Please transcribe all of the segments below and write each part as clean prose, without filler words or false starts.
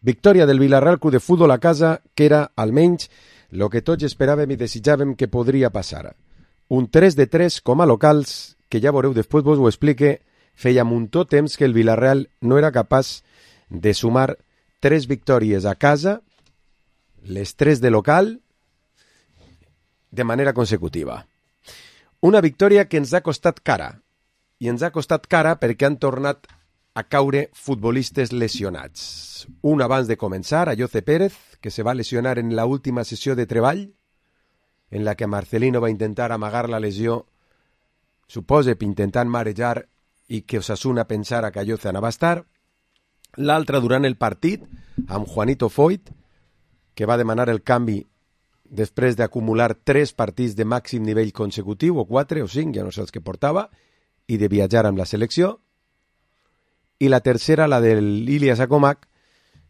Victòria del Villarreal Club de Futbol a casa, que era, almenys, el que tots esperàvem i desitjàvem que podria passar. Un 3-3 com a locals, que ja veureu, després vos ho explique, feia muntó temps que el Villarreal no era capaç de sumar 3 victòries a casa, les 3 de local, de manera consecutiva. Una victòria que ens ha costat cara, i ens ha costat cara perquè han tornat a caure futbolistes lesionats. Un abans de començar, Ayoce Pérez, que se va lesionar en la última sessió de treball, en la que Marcelino va intentar amagar la lesió, suposa intentant marejar i que Osasuna pensara que Ayoce anava a estar. L'altra durant el partit, amb Juanito Foyt, que va demanar el canvi després d'acumular 3 partits de màxim nivell consecutiu, o 4 o 5, ja no sé els que portava, i de viatjar amb la selecció. I la tercera, la del Ilias Acomac,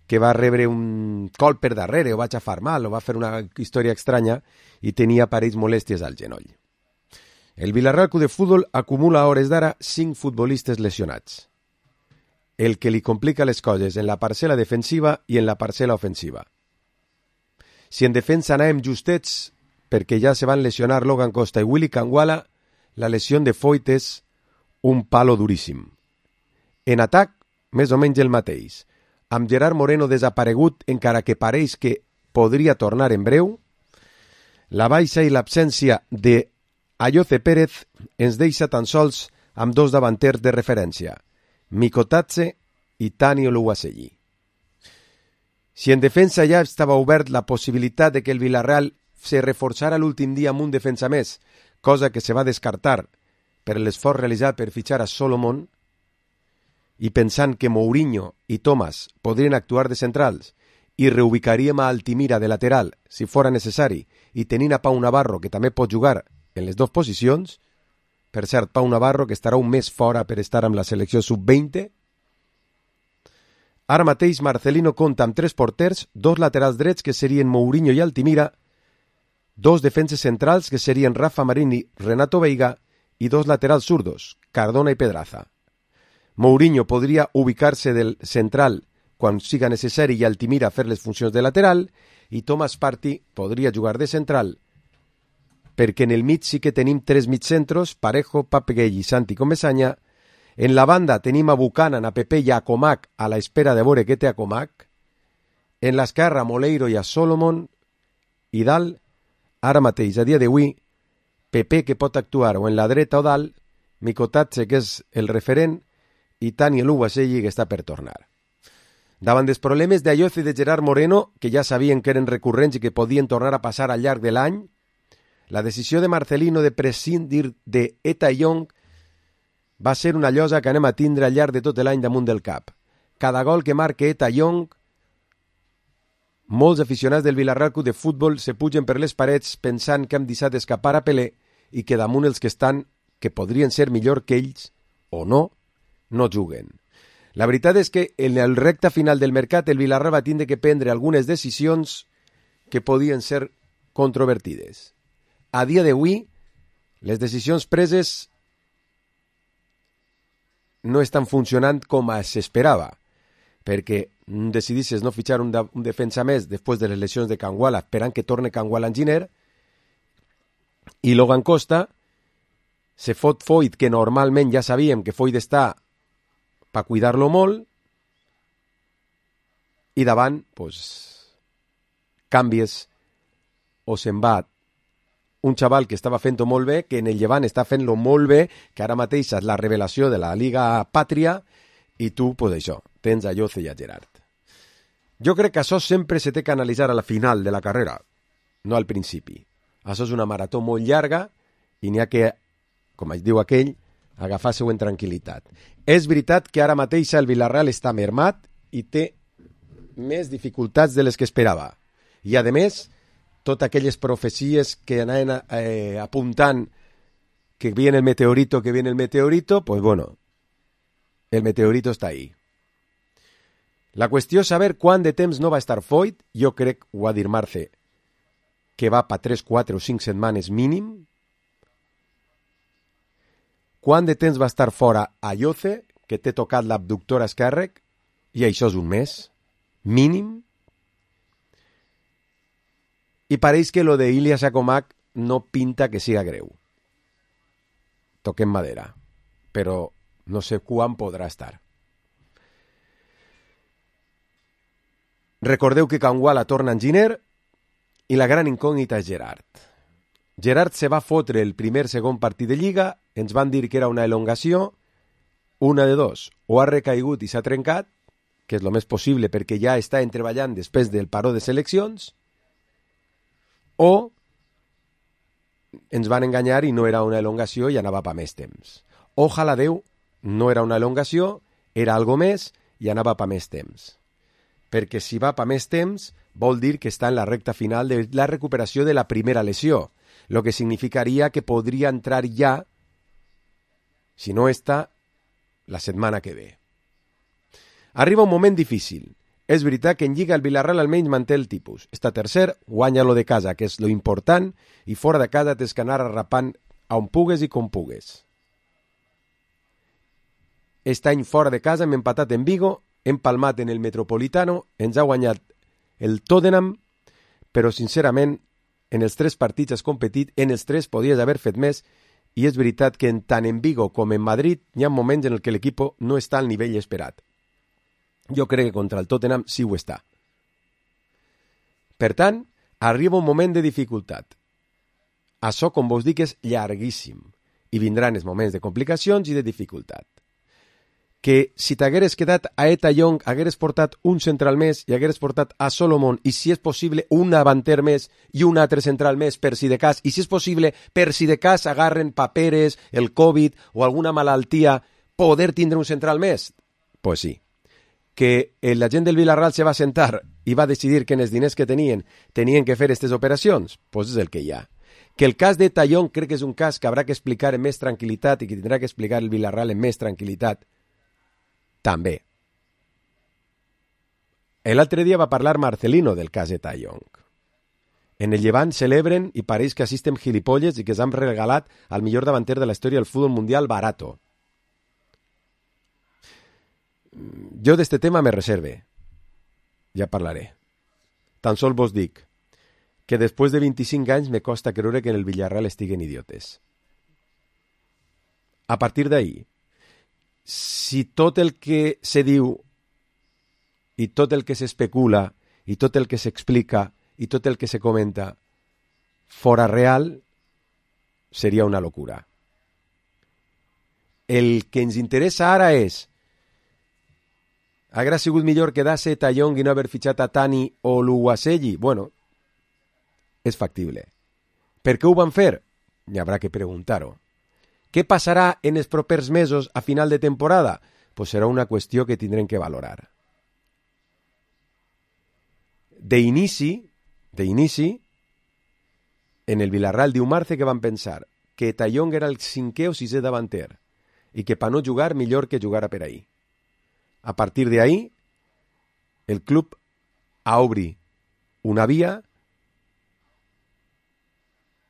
que va rebre un col per darrere, o va xafar mal, o va fer una història estranya, i tenia parells molèsties al genoll. El Villarreal Club de Futbol acumula a hores d'ara 5 futbolistes lesionats, el que li complica les coses en la parcel·la defensiva i en la parcel·la ofensiva. Si en defensa anàvem justets, perquè ja se van lesionar Logan Costa i Willy Kangwala, la lesió de Foyt és un palo duríssim. En atac, més o menys el mateix, amb Gerard Moreno desaparegut, encara que pareix que podria tornar en breu. La baixa i l'absència de Ayoce Pérez ens deixa tan sols amb 2 davanters de referència, Mikotatze i Tani Oluwaseyi. Si en defensa ja estava obert la possibilitat de que el Villarreal se reforçara l'últim dia amb un defensa més, cosa que se va descartar per l'esforç realitzat per fitxar a Solomon, i pensant que Mourinho i Thomas podrien actuar de centrals i reubicaríem a Altimira de lateral si fora necessari, i tenint a Pau Navarro, que també pot jugar en les 2 posicions, per cert, Pau Navarro, que estarà un mes fora per estar amb la selecció sub-20. Ara mateix Marcelino compta amb 3 porters, 2 laterals drets, que serien Mourinho i Altimira, 2 defenses centrals, que serien Rafa Marín i Renato Veiga, i 2 laterals zurdos, Cardona i Pedraza. Mourinho podria ubicar-se del central quan siga necessari i Altimira fer les funcions de lateral, i Thomas Partey podria jugar de central, perquè en el mig sí que tenim 3 mitjacentros, Parejo, Papeguell i Santi Comesaña. En la banda tenim a Buchanan, a Pepe i a Comac a la espera de veure què té a Comac. En l'esquerra, Moleiro i a Solomon. I dalt, ara mateix, a dia d'avui, Pepe, que pot actuar o en la dreta o dalt, Mikotatze, que és el referent, i Tani Oluwaseyi, que està per tornar. Davant dels problemes d'Ayoce i de Gerard Moreno, que ja sabien que eren recurrents i que podien tornar a passar al llarg de l'any, la decisió de Marcelino de prescindir de Eta Young va ser una llosa que anem a tindre al llarg de tot l'any damunt del cap. Cada gol que marca Eta Young, molts aficionats del Villarreal Club de Futbol se pugen per les parets pensant que hem deixat escapar a Pelé i que damunt els que estan, que podrien ser millor que ells, o no, no juguen. La veritat és que en el recta final del mercat el Villarreal va tindre que prendre algunes decisions que podien ser controvertides. A dia d'avui, les decisions preses no estan funcionant com s'esperava, perquè decidisses no fitxar un defensa més després de les lesions de Kangwala, esperant que torni Kangwala Enginyer, i Logan Costa se fot Foyt, que normalment ja sabíem que Foyt està per cuidar-lo molt, i davant, canvies o se'n va un xaval que estava fent-ho molt bé, que en el Llevant està fent-lo molt bé, que ara mateix és la revelació de la Liga Pàtria, i tu, això, tens a Ayoce i a Gerard. Jo crec que això sempre se té que analitzar a la final de la carrera, no al principi. Això és una marató molt llarga i n'hi ha que, com es diu aquell, agafar-se-ho en tranquil·litat. És veritat que ara mateix el Villarreal està mermat i té més dificultats de les que esperava. I, a més, totes aquelles profecies que anaven apuntant que viene el meteorito, pues bueno, el meteorito està ahí. La qüestió és saber quant de temps no va estar Foyt. Jo crec, ho va dir Marce, que va per 3, 4 o 5 setmanes mínim. Quant de temps va estar fora Ayoce, que té tocat l'abductor esquerre, i això és un mes. mínim, i pareix que lo de Ilya Sakomak no pinta que siga greu. Toquem madera, però no sé quan podrà estar. Recordeu que Kangwala torna en Giner i la gran incògnita és Gerard. Gerard se va fotre el segon partit de Lliga, ens van dir que era una elongació, una de dos, o ha recaigut i s'ha trencat, que és el més possible perquè ja està entreballant després del paró de seleccions, o ens van enganyar i no era una elongació i anava pa més temps. Ojalà Déu, no era una elongació, era algo més i anava pa més temps. Perquè si va pa més temps vol dir que està en la recta final de la recuperació de la primera lesió, lo que significaria que podria entrar ja, si no està, la setmana que ve. Arriba un moment difícil. És veritat que en Lliga el Villarreal almenys manté el tipus. Està tercer, guanya lo de casa, que és lo important, i fora de casa tens que anar arrapant on pugues i com pugues. Este any fora de casa hem empatat en Vigo, hem palmat en el Metropolitano, ens ha guanyat el Tottenham, però sincerament en els 3 partits has competit, en els 3 podies haver fet més, i és veritat que tant en Vigo com en Madrid hi ha moments en què l'equip no està al nivell esperat. Jo crec que contra el Tottenham sí ho està. Per tant, arriba un moment de dificultat. Això, com vos dic, és llarguíssim, i vindran els moments de complicacions i de dificultat. Que si t'hagueres quedat a Eta Young, hagueres portat un central més i hagueres portat a Solomon i si és possible un davanter més i un altre central més per si de cas, i si és possible per si de cas agarren paperes, el Covid o alguna malaltia, poder tindre un central més? Pues sí. Que la gent del Villarreal se va sentar i va decidir que en els diners que tenien que fer aquestes operacions? Pues és el que hi ha. Que el cas de Eta Young crec que és un cas que haurà que explicar amb més tranquil·litat i que tindrà que explicar el Villarreal amb més tranquil·litat també. L'altre dia va parlar Marcelino del cas de Eta Young. En el Llevant celebren i pareix que assistem gilipolles i que s'han regalat al millor davanter de la història del futbol mundial barato. Jo d'este tema me reserve. Ja parlaré. Tan sol vos dic que després de 25 anys me costa creure que en el Villarreal estiguen idiotes. A partir d'ahí, si tot el que se diu i tot el que s'especula i tot el que s'explica i tot el que se comenta fora real, seria una locura. El que ens interessa ara és: haguera sigut millor quedar-se Eta Young i no haver fitxat a Tani o l'Uwaselli? Bueno, és factible. Per què ho van fer? N'hi haurà que preguntar-ho. Què passarà en els propers mesos a final de temporada? Pues serà una qüestió que tindrem que valorar. D'inici, en el Villarreal diu Marce que van pensar que Eta Young era el 5è o 6è davanter i que per no jugar millor que jugara per ahí. A partir de ahí, el club obri una via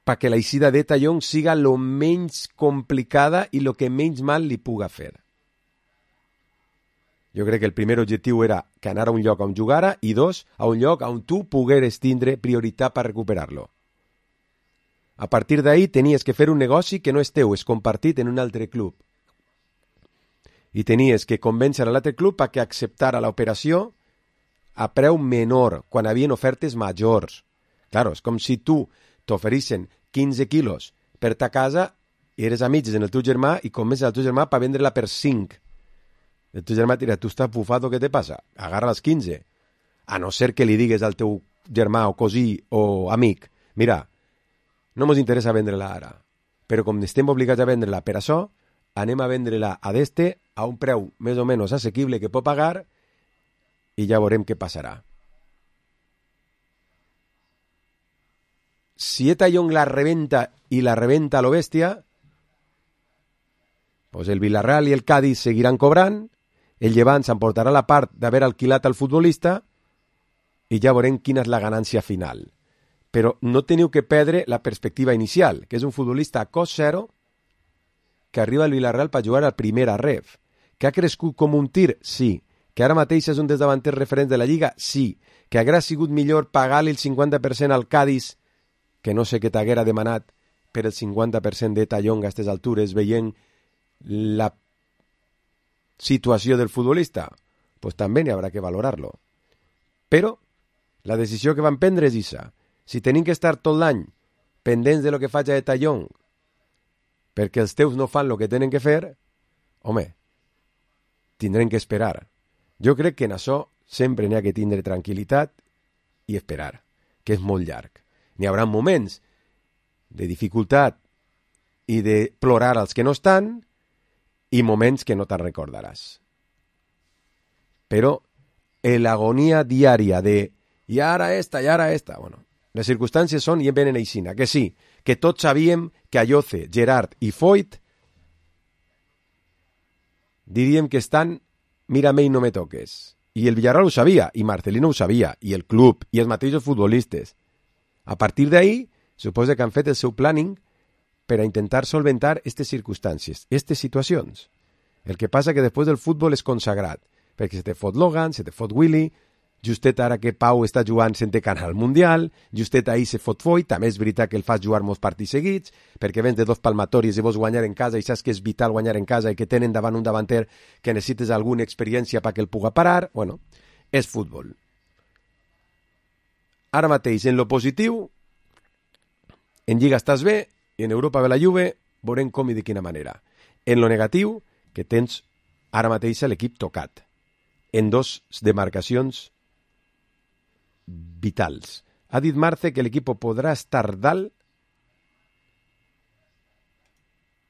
perquè la eixida d'Eta Young siga lo menys complicada i lo que menys mal li puga fer. Jo crec que el primer objectiu era que anara a un lloc on jugara i 2, a un lloc on tu pogueres tindre prioritat per recuperar-lo. A partir d'ahí tenies que fer un negoci que no és teu, és compartit en un altre club. I tenies que convèncer a l'altre club perquè acceptara l'operació a preu menor, quan havien ofertes majors. Claro, és com si tu t'oferissin 15 quilos per ta casa i eres amics en el teu germà i convences el teu germà per vendre-la per 5. El teu germà dirà: tu estàs bufado, què te passa? Agarra les 15. A no ser que li digues al teu germà o cosí o amic: mira, no mos interessa vendre-la ara, però com estem obligats a vendre-la per això, anem a vendre-la a d'este a un preu més o menys assequible que pot pagar i ja veurem què passarà. Si Eta Young la rebenta i la rebenta a lo bèstia, pues el Villarreal i el Cádiz seguiran cobrant, el Llevant s'emportarà la part d'haver alquilat al futbolista i ja veurem quina és la ganància final. Però no teniu que perdre la perspectiva inicial, que és un futbolista a cost zero que arriba al Villarreal per jugar al primera ref. Que ha crescut com un tir? Sí. Que ara mateix és un dels davanters referents de la Lliga? Sí. Que haguera sigut millor pagar-li el 50% al Cádiz, que no sé què t'haguera demanat per el 50% de Tallonga a aquestes altures, veient la situació del futbolista? Pues també n'hi haurà que valorar-lo. Però la decisió que van prendre és aquesta. Si tenim que estar tot l'any pendents de lo que faci de Tallong perquè els teus no fan el que tenen que fer, home, tindrem que esperar. Jo crec que en això sempre n'hi ha que tindre tranquil·litat i esperar, que és molt llarg. N'hi haurà moments de dificultat i de plorar als que no estan i moments que no te'n recordaràs. Però l'agonia diària de i ara esta, bueno, les circumstàncies són i venen aixina, que sí, que tots sabíem que Ayoce, Gerard i Foyt diríem que estan mírame i no me toques. I el Villarreal ho sabia, i Marcelino ho sabia, i el club, i els mateixos futbolistes. A partir d'ahí, suposa que han fet el seu planning per a intentar solventar aquestes circumstàncies, aquestes situacions. El que passa que després del futbol és consagrat, perquè se te fot Logan, se te fot Willy, justet ara que Pau està jugant sense canal mundial, justet ahir se fot Foyt, també és veritat que el fas jugar molts partits seguits, perquè vens de dos palmatoris i vols guanyar en casa i saps que és vital guanyar en casa i que tenen davant un davanter que necessites alguna experiència perquè el puga parar. Bueno, és futbol. Ara mateix, en lo positiu, en Lliga estàs bé i en Europa ve la Juve, veurem com i de quina manera. En lo negatiu, que tens ara mateix l'equip tocat, en dos demarcacions vitals. Ha dit Marce que l'equip podrà estar dalt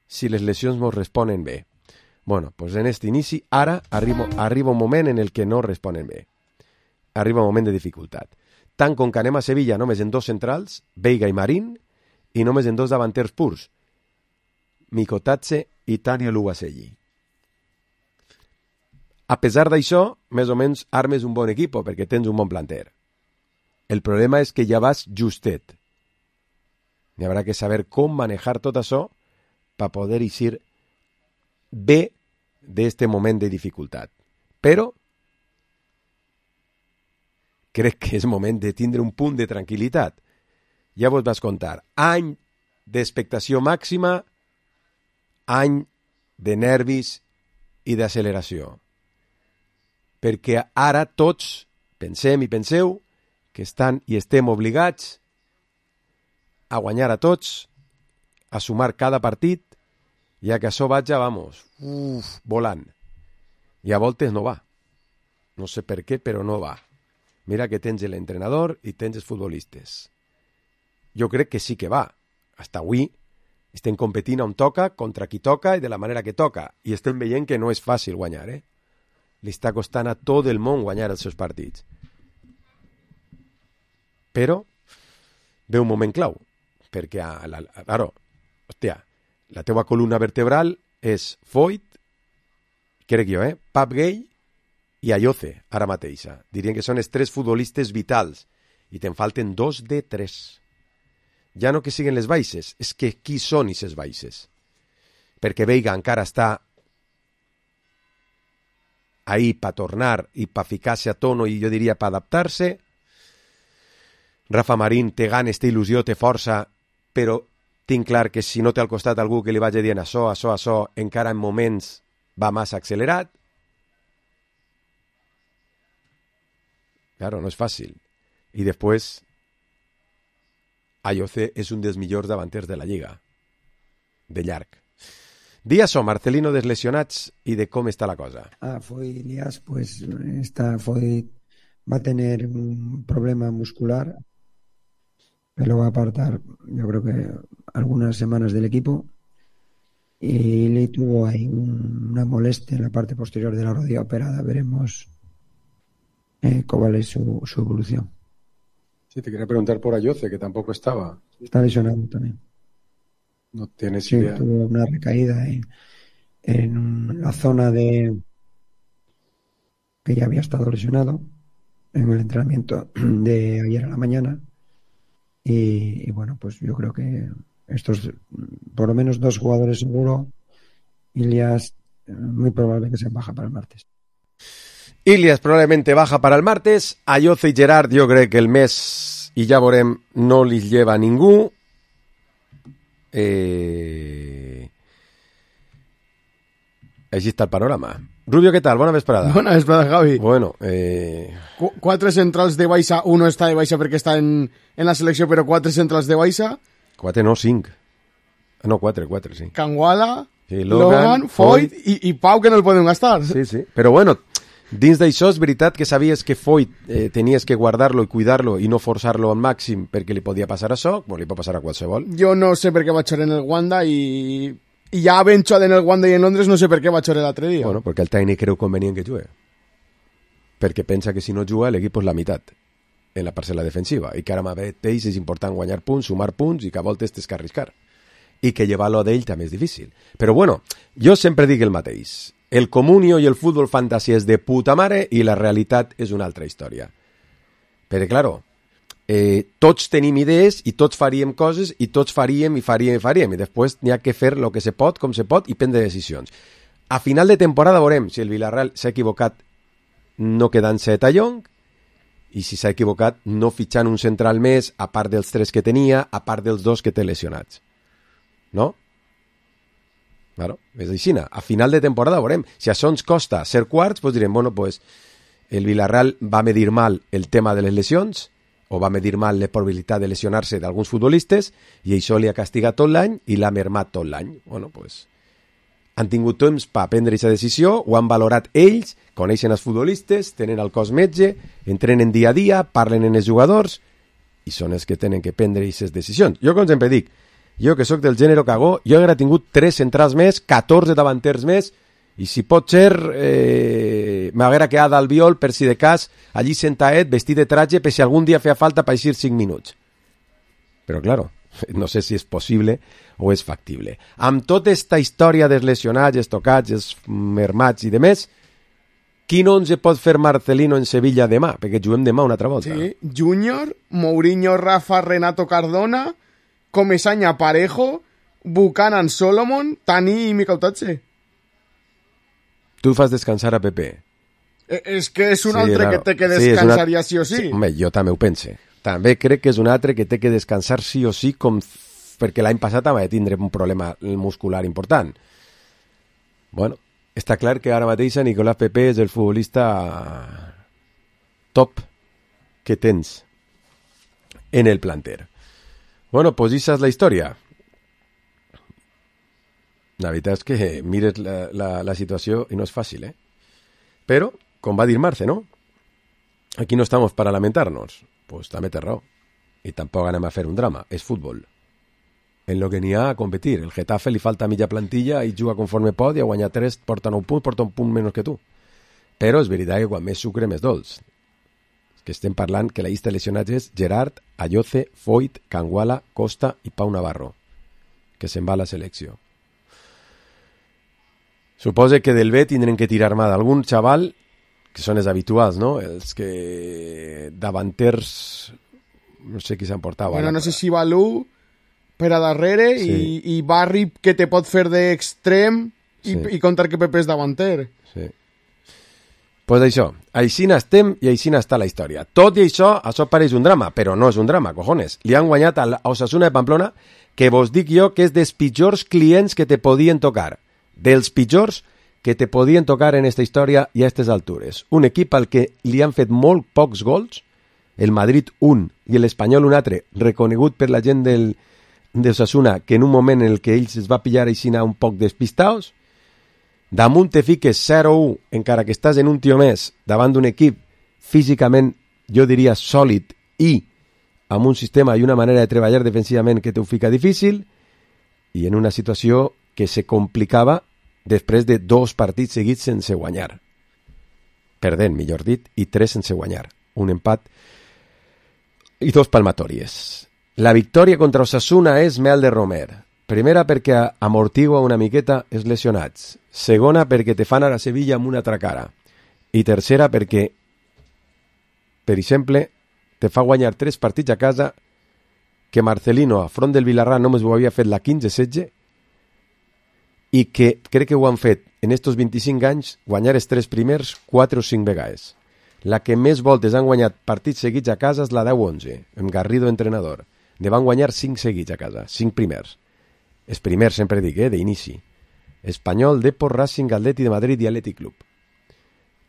si les lesions mos responen bé. Bueno, pues en este inici, ara arriba un moment en el que no responen bé. Arriba un moment de dificultat. Tant com que anem a Sevilla només en dos centrals, Veiga i Marín, i només en dos davanters purs, Mikotatse i Tania Lugaselli. A pesar d'això, més o menys armes un bon equip perquè tens un bon planter. El problema és que ja vas justet. N'hi haurà que saber com manejar tot això per poder eixir bé d'este moment de dificultat. Però crec que és moment de tindre un punt de tranquil·litat. Ja vos vas contar. Any d'expectació màxima, any de nervis i d'acceleració. Perquè ara tots pensem i penseu que estan i estem obligats a guanyar a tots, a sumar cada partit, i a que això vaja, volant. I a voltes no va. No sé per què, però no va. Mira que tens l'entrenador i tens els futbolistes. Jo crec que sí que va. Hasta avui estem competint on toca, contra qui toca i de la manera que toca. I estem veient que no és fàcil guanyar, Li està costant a tot el món guanyar els seus partits. Però ve un moment clau, perquè la teva columna vertebral és Foyt, crec jo, Pap Gay i Ayoce, ara mateixa. Dirien que són els tres futbolistes vitals i te'n falten 2 de 3. Ja no que siguin les baixes, és que qui són aquestes baixes? Perquè Veiga encara està ahí per tornar i per ficar-se a tono i jo diria per adaptar-se. Rafa Marín té ganes, té il·lusió, té força, però tinc clar que si no té al costat algú que li vagi dient això, encara en moments va massa accelerat. Claro, no és fàcil. I després, Ayoce és un dels millors davanters de la Lliga. De llarg. Di això, Marcelino, dels lesionats i de com està la cosa. Foyt Elias, pues Foyt va a tener un problema muscular que lo va a apartar, yo creo que algunas semanas del equipo, y le tuvo ahí una molestia en la parte posterior de la rodilla operada. Veremos cuál es su evolución. Sí, te quería preguntar por Ayoce, que tampoco estaba. Está lesionado también. No tienes Sí, idea. tuvo una recaída en la zona de que ya había estado lesionado en el entrenamiento de ayer a la mañana. Y bueno, pues yo creo que estos, por lo menos 2 jugadores seguro, Ilias, muy probable que se baja para el martes. Ilias probablemente baja para el martes. Ayoce i Gerard jo crec que el mes, i ja veurem, no li lleva a ningú. Així està el panorama. Rubio, ¿qué tal? Bona vesprada. Bona vesprada, Javi. Bueno, 4 centrals de baixa, uno està de baixa perquè està en la selecció, però 4 centrals de baixa. 4 no, 5. No, 4, sí. Canguala, Sí, Logan, Foyt i Pau, que no el podem gastar. Sí. Però bueno, dins d'això és veritat que sabies que Foyt tenies que guardar-lo i cuidar-lo i no forçar-lo al màxim perquè li podia passar això, o li pot passar a qualsevol. Jo no sé per què vaig en el Wanda i ja havent jugado en el Wanda i en Londres no sé per què vaig l'altre dia. Bueno, perquè el tècnic creu convenient que jugui. Perquè pensa que si no juga l'equip és la meitat en la parcel·la defensiva i que ara mateix és important guanyar punts, sumar punts i que a voltes tens que arriscar. I que llevar-lo d'ell també és difícil. Però bueno, jo sempre dic el mateix. El comunio i el futbol fantasia és de puta mare i la realitat és una altra història. Perquè, claro, tots tenim idees i tots faríem coses i tots faríem i després n'hi ha que fer el que se pot, com se pot i prendre decisions. A final de temporada veurem si el Villarreal s'ha equivocat no quedant-se a Tallong i si s'ha equivocat no fitxant un central més a part dels 3 que tenia, a part dels 2 que té lesionats. No? Claro, és així. A final de temporada veurem. Si això ens costa ser quarts, doncs direm, bueno, pues el Villarreal va medir mal el tema de les lesions o va medir mal la probabilitat de lesionar-se d'alguns futbolistes i això li ha castigat tot l'any i l'ha mermat tot l'any. Bueno, pues han tingut temps per prendre aquesta decisió, ho han valorat ells, coneixen els futbolistes, tenen el cos metge, entrenen dia a dia, parlen en els jugadors i són els que tenen que prendre aquestes decisions. Jo, com sempre dic, jo que sóc del gènere cagó, jo hauria tingut 3 centrals més, 14 davanters més, i si pot ser, m'haguera quedat al viol per si de cas, allí sentadet, vestit de traje, per si algun dia feia falta per eixir 5 minuts. Però, claro, no sé si és possible o és factible. Amb tota esta història dels lesionats, els tocats, els mermats i demés, quin 11 pot fer Marcelino en Sevilla demà? Perquè juguem demà una altra volta. Sí, Júnior, Mourinho, Rafa, Renato Cardona, Comesaña, Parejo, Buchanan, Solomon, Tani i Mikel Tatse. Tu fas descansar a Pepe. És que és un altre que té que descansaria sí o sí. Home, jo també ho pense. També crec que és un altre que té que descansar sí o sí, perquè l'any passat va tindre un problema muscular important. Bueno, està clar que ara mateix Nicolás Pepe és el futbolista top que tens en el planter. Bueno, pues esa és la història. La veritat és que mires la situació i no és fàcil, ¿eh? Però, com va dir Marce, ¿no? Aquí no estamos para lamentarnos. Pues també té raó. I tampoc anem a fer un drama. És futbol. En lo que n'hi ha a competir. El Getafe li falta mitja plantilla i juga conforme pot i a guanyar 3 porta 9 punts, porta un punt menys que tu. Però és veritat que quan més sucre, més dolç. Que estem parlant que la llista de lesionats és Gerard, Ayoce, Foyt, Canguala, Costa i Pau Navarro, que se'n va a la selecció. Suposo que del B tindrem que tirar mà d'algun xaval, que són els habituals, no? Els que davanters, no sé qui s'emportava. Bueno, no sé si Balú per a darrere sí. i Barri que te pot fer d'extrem i contar que Pepe és davanter. Sí. Pues això, així n'estem i així n'està la història. Tot i això pareix un drama, però no és un drama, cojones. Li han guanyat a Osasuna de Pamplona, que vos dic jo que és dels pitjors clients que te podien tocar. Dels pitjors que te podien tocar en esta història i a aquestes altures. Un equip al que li han fet molt pocs gols, el Madrid un i l'Espanyol un altre, reconegut per la gent d'Osasuna, que en un moment en el que ells es va pillar així un poc despistaos, damunt te fiques 0-1, encara que estàs en un tio més, davant d'un equip físicament, jo diria, sòlid i amb un sistema i una manera de treballar defensivament que t'ho fica difícil, i en una situació que se complicava després de 2 partits seguits sense guanyar. Perdent, millor dit, i 3 sense guanyar. Un empat i 2 palmatòries. La victòria contra Osasuna és mel de romer. Primera perquè amortigua una miqueta els lesionats. Segona perquè te fan anar a Sevilla amb una altra cara. I tercera perquè, per exemple, te fa guanyar 3 partits a casa que Marcelino, a front del Villarreal, només ho havia fet la 15-16, i que crec que ho han fet en estos 25 anys guanyar els 3 primers 4 o 5 vegades. La que més voltes han guanyat partits seguits a casa és la 10-11, amb Garrido entrenador. Ne van guanyar 5 seguits a casa, 5 primers. Els primers, sempre dic, d'inici. Espanyol, Depor, Racing, Atleti de Madrid i Atlètic Club.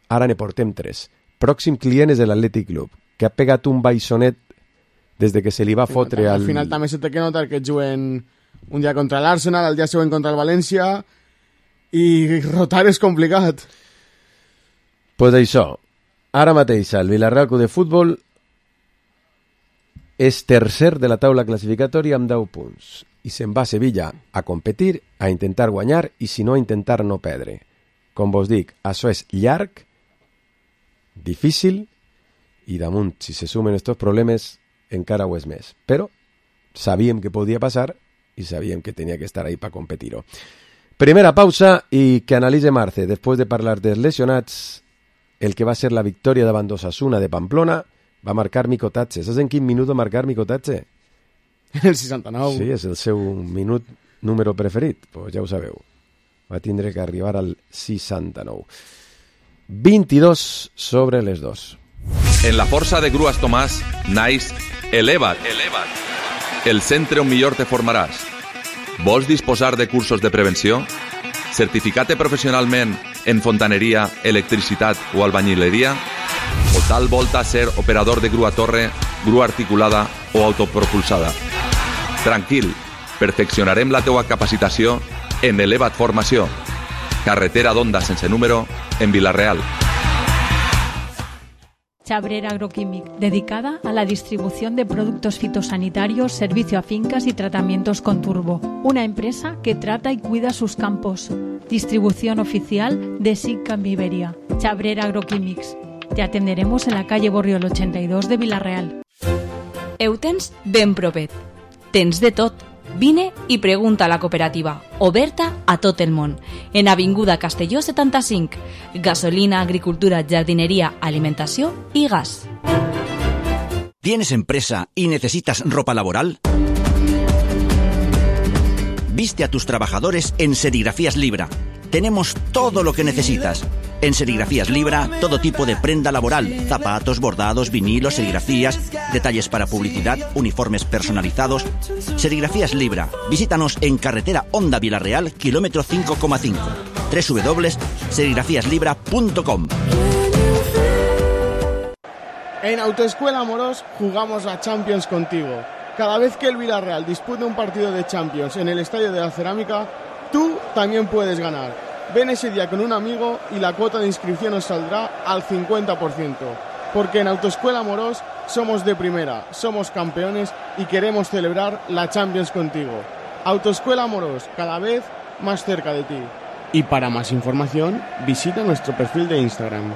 Ara ne portem 3. Pròxim client és l'Atlètic Club, que ha pegat un baixonet des de que se li va fotre al... Al final també se té que notar que juguen un dia contra l'Arsenal, el dia següent contra el València, i rotar és complicat. Pues això, ara mateix el Villarreal Club de Futbol és tercer de la taula classificatòria amb 10 punts i se'n va a Sevilla a competir, a intentar guanyar i si no a intentar no perdre. Com vos dic, això és llarg, difícil i damunt, si se sumen estos problemes, encara ho és més. Però sabíem que podia passar i sabíem que tenia que estar ahí para competir-ho. Primera pausa i que analitze Marce, després de parlar dels lesionats, el que va ser la victòria davant d'Osasuna de Pamplona, va marcar Mico Tatze. Saps en quin minut va marcar Mico Tatze? El 69. Sí, és el seu minut número preferit. Pues ja ho sabeu. Va tindre que arribar al 69. 22 sobre les 2. En la força de Grues Tomàs naix Eleva't. El centre on millor te formaràs. Vols disposar de cursos de prevenció? Certificar-te professionalment en fontaneria, electricitat o albañileria? O tal volta ser operador de grua torre, grua articulada o autopropulsada? Tranquil, perfeccionarem la teua capacitació en Eleva't Formació. Carretera d'Onda sense número en Vila-real. Chabrera Agroquímic, dedicada a la distribución de productos fitosanitarios, servicio a fincas y tratamientos con turbo. Una empresa que trata y cuida sus campos. Distribución oficial de SICA en Iberia. Chabrera Agroquímics. Te atenderemos en la calle Borriol 82 de Vila-real. Eutens ben propet. Tens de tot. Vine i pregunta a la cooperativa, oberta a tot el món, en Avinguda Castelló 75, gasolina, agricultura, jardinería, alimentació i gas. ¿Tienes empresa y necesitas ropa laboral? Viste a tus trabajadores en Serigrafías Libra. Tenemos todo lo que necesitas. En Serigrafías Libra, todo tipo de prenda laboral, zapatos, bordados, vinilos, serigrafías, detalles para publicidad, uniformes personalizados. Serigrafías Libra. Visítanos en carretera Onda Vila-real, kilómetro 5,5. www.serigrafiaslibra.com. En Autoescuela Amorós jugamos a Champions contigo. Cada vez que el Villarreal dispute un partido de Champions en el Estadio de la Cerámica, tú también puedes ganar. Ven ese día con un amigo y la cuota de inscripción nos saldrá al 50%. Porque en Autoescuela Amorós somos de primera, somos campeones y queremos celebrar la Champions contigo. Autoescuela Amorós, cada vez más cerca de ti. Y para más información, visita nuestro perfil de Instagram.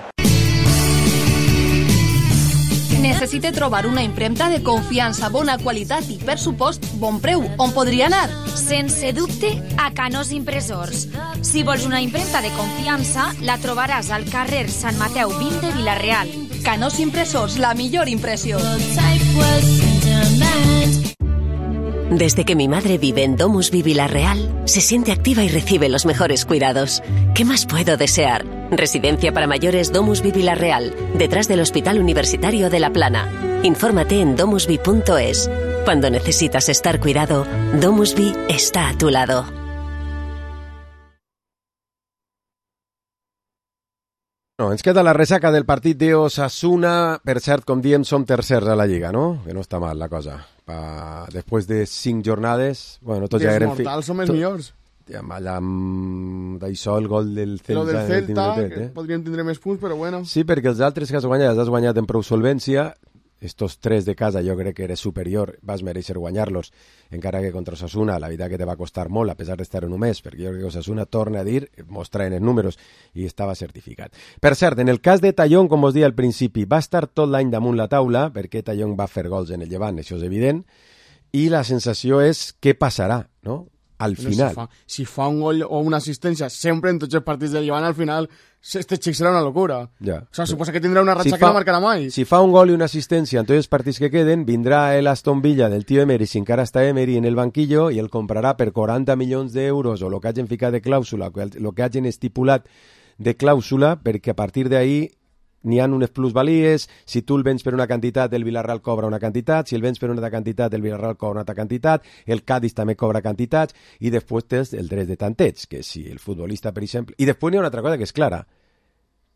Necessite trobar una impremta de confiança, bona qualitat i, per supost, bon preu. On podria anar? Sense dubte, a Canós Impressors. Si vols una impremta de confiança, la trobaràs al carrer Sant Mateu 20 de Vila-real. Canós Impressors, la millor impressió. Desde que mi madre vive en Domusvi Vila-real, se siente activa y recibe los mejores cuidados. ¿Qué más puedo desear? Residencia para mayores Domusvi Vila-real, detrás del Hospital Universitario de La Plana. Infórmate en domusvi.es. Cuando necesitas estar cuidado, Domusvi está a tu lado. No, ens queda la ressaca del partit d'Osasuna. Per cert, com diem, som tercers a la Lliga, no? Que no està mal la cosa. Després de 5 jornades... Bueno, tots ja eren... Els mortals som els millors. D'això, el gol del Celta... Lo del Celta, que podrien tindre més punts, però bueno. Sí, perquè els altres que has guanyat en prou solvència. Estos 3 de casa jo crec que eres superior, vas mereixer guanyar-los, encara que contra Osasuna la veritat que te va costar molt, a pesar d'estar en un mes, perquè jo crec que Osasuna torna a dir, mostraven els números, i estava certificat. Per cert, en el cas de Tallón, com us deia al principi, va estar tot l'any damunt la taula, perquè Tallón va fer gols en el Llevant, això és evident, i la sensació és què passarà, no? al final. Si fa un gol o una assistència sempre en tots els partits del Llevant, al final este xic serà una locura. Ja. O sea, suposa que tindrà una ratxa que no marcarà mai. Si fa un gol i una assistència en tots els partits que queden, vindrà el Aston Villa del tío Emery, si encara està Emery en el banquillo, i el comprarà per 40 milions d'euros o el que hagin ficat de clàusula, el que hagin estipulat de clàusula, perquè a partir d'ahí n'hi ha unes plusvalies. Si tu el vens per una quantitat, el Villarreal cobra una quantitat, si el vens per una altra quantitat, el Villarreal cobra una altra quantitat, el Cádiz també cobra quantitats, i després tens el dret de tanteig, que si el futbolista, per exemple... I després n'hi ha una altra cosa que és clara,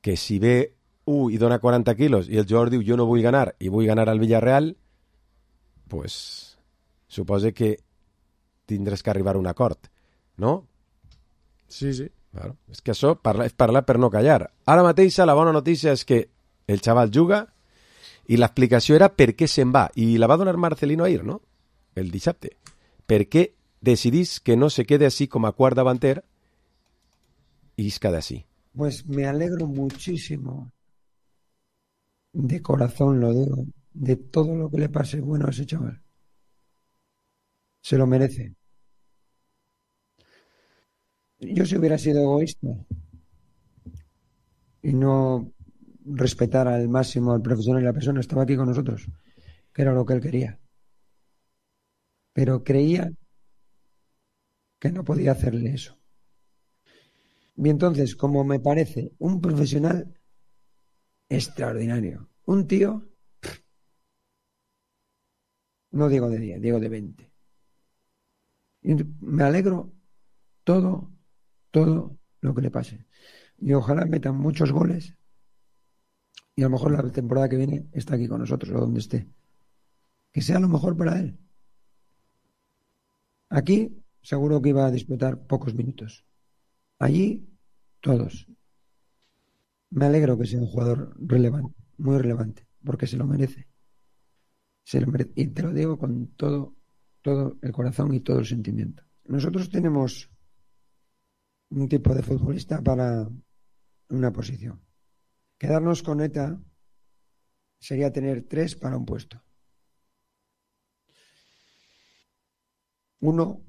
que si ve i dona 40 quilos i el jugador diu jo no vull ganar i vull ganar al Villarreal, pues suposa que tindràs que arribar a un acord, no? Sí, sí. Claro. És que això és parlar per no callar. Ara mateix la bona notícia és que el xaval juga i l'explicació era per què se'n va, i la va donar Marcelino ahir, no? El dissabte. Per què decidís que no se quede así com a quart davanter i isca d'ací? Pues me alegro muchísimo, de corazón lo digo, de todo lo que le pase bueno a ese chaval. Se lo merece. Yo si hubiera sido egoísta y no respetar al máximo al profesional y la persona, estaba aquí con nosotros, que era lo que él quería. Pero creía que no podía hacerle eso. Y entonces, como me parece un profesional extraordinario, un tío, no digo de 10, digo de 20. Y me alegro todo lo que le pase. Y ojalá metan muchos goles y a lo mejor la temporada que viene está aquí con nosotros o donde esté. Que sea lo mejor para él. Aquí seguro que iba a disputar pocos minutos. Allí, todos. Me alegro que sea un jugador relevante, muy relevante, porque se lo merece. Se lo merece. Y te lo digo con todo el corazón y todo el sentimiento. Nosotros tenemos un tipo de futbolista para una posición. Quedarnos con ETA sería tener 3 para un puesto. Uno,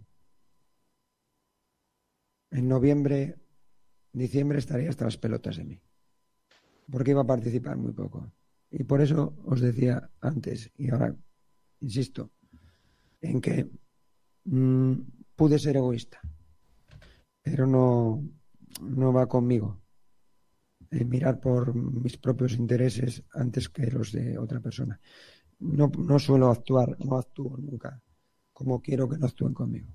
en noviembre, diciembre estaría hasta las pelotas de mí, porque iba a participar muy poco. Y por eso os decía antes, y ahora insisto, en que pude ser egoísta, pero no va conmigo mirar por mis propios intereses antes que los de otra persona. No suelo actuar, no actúo nunca como quiero que no actúen conmigo.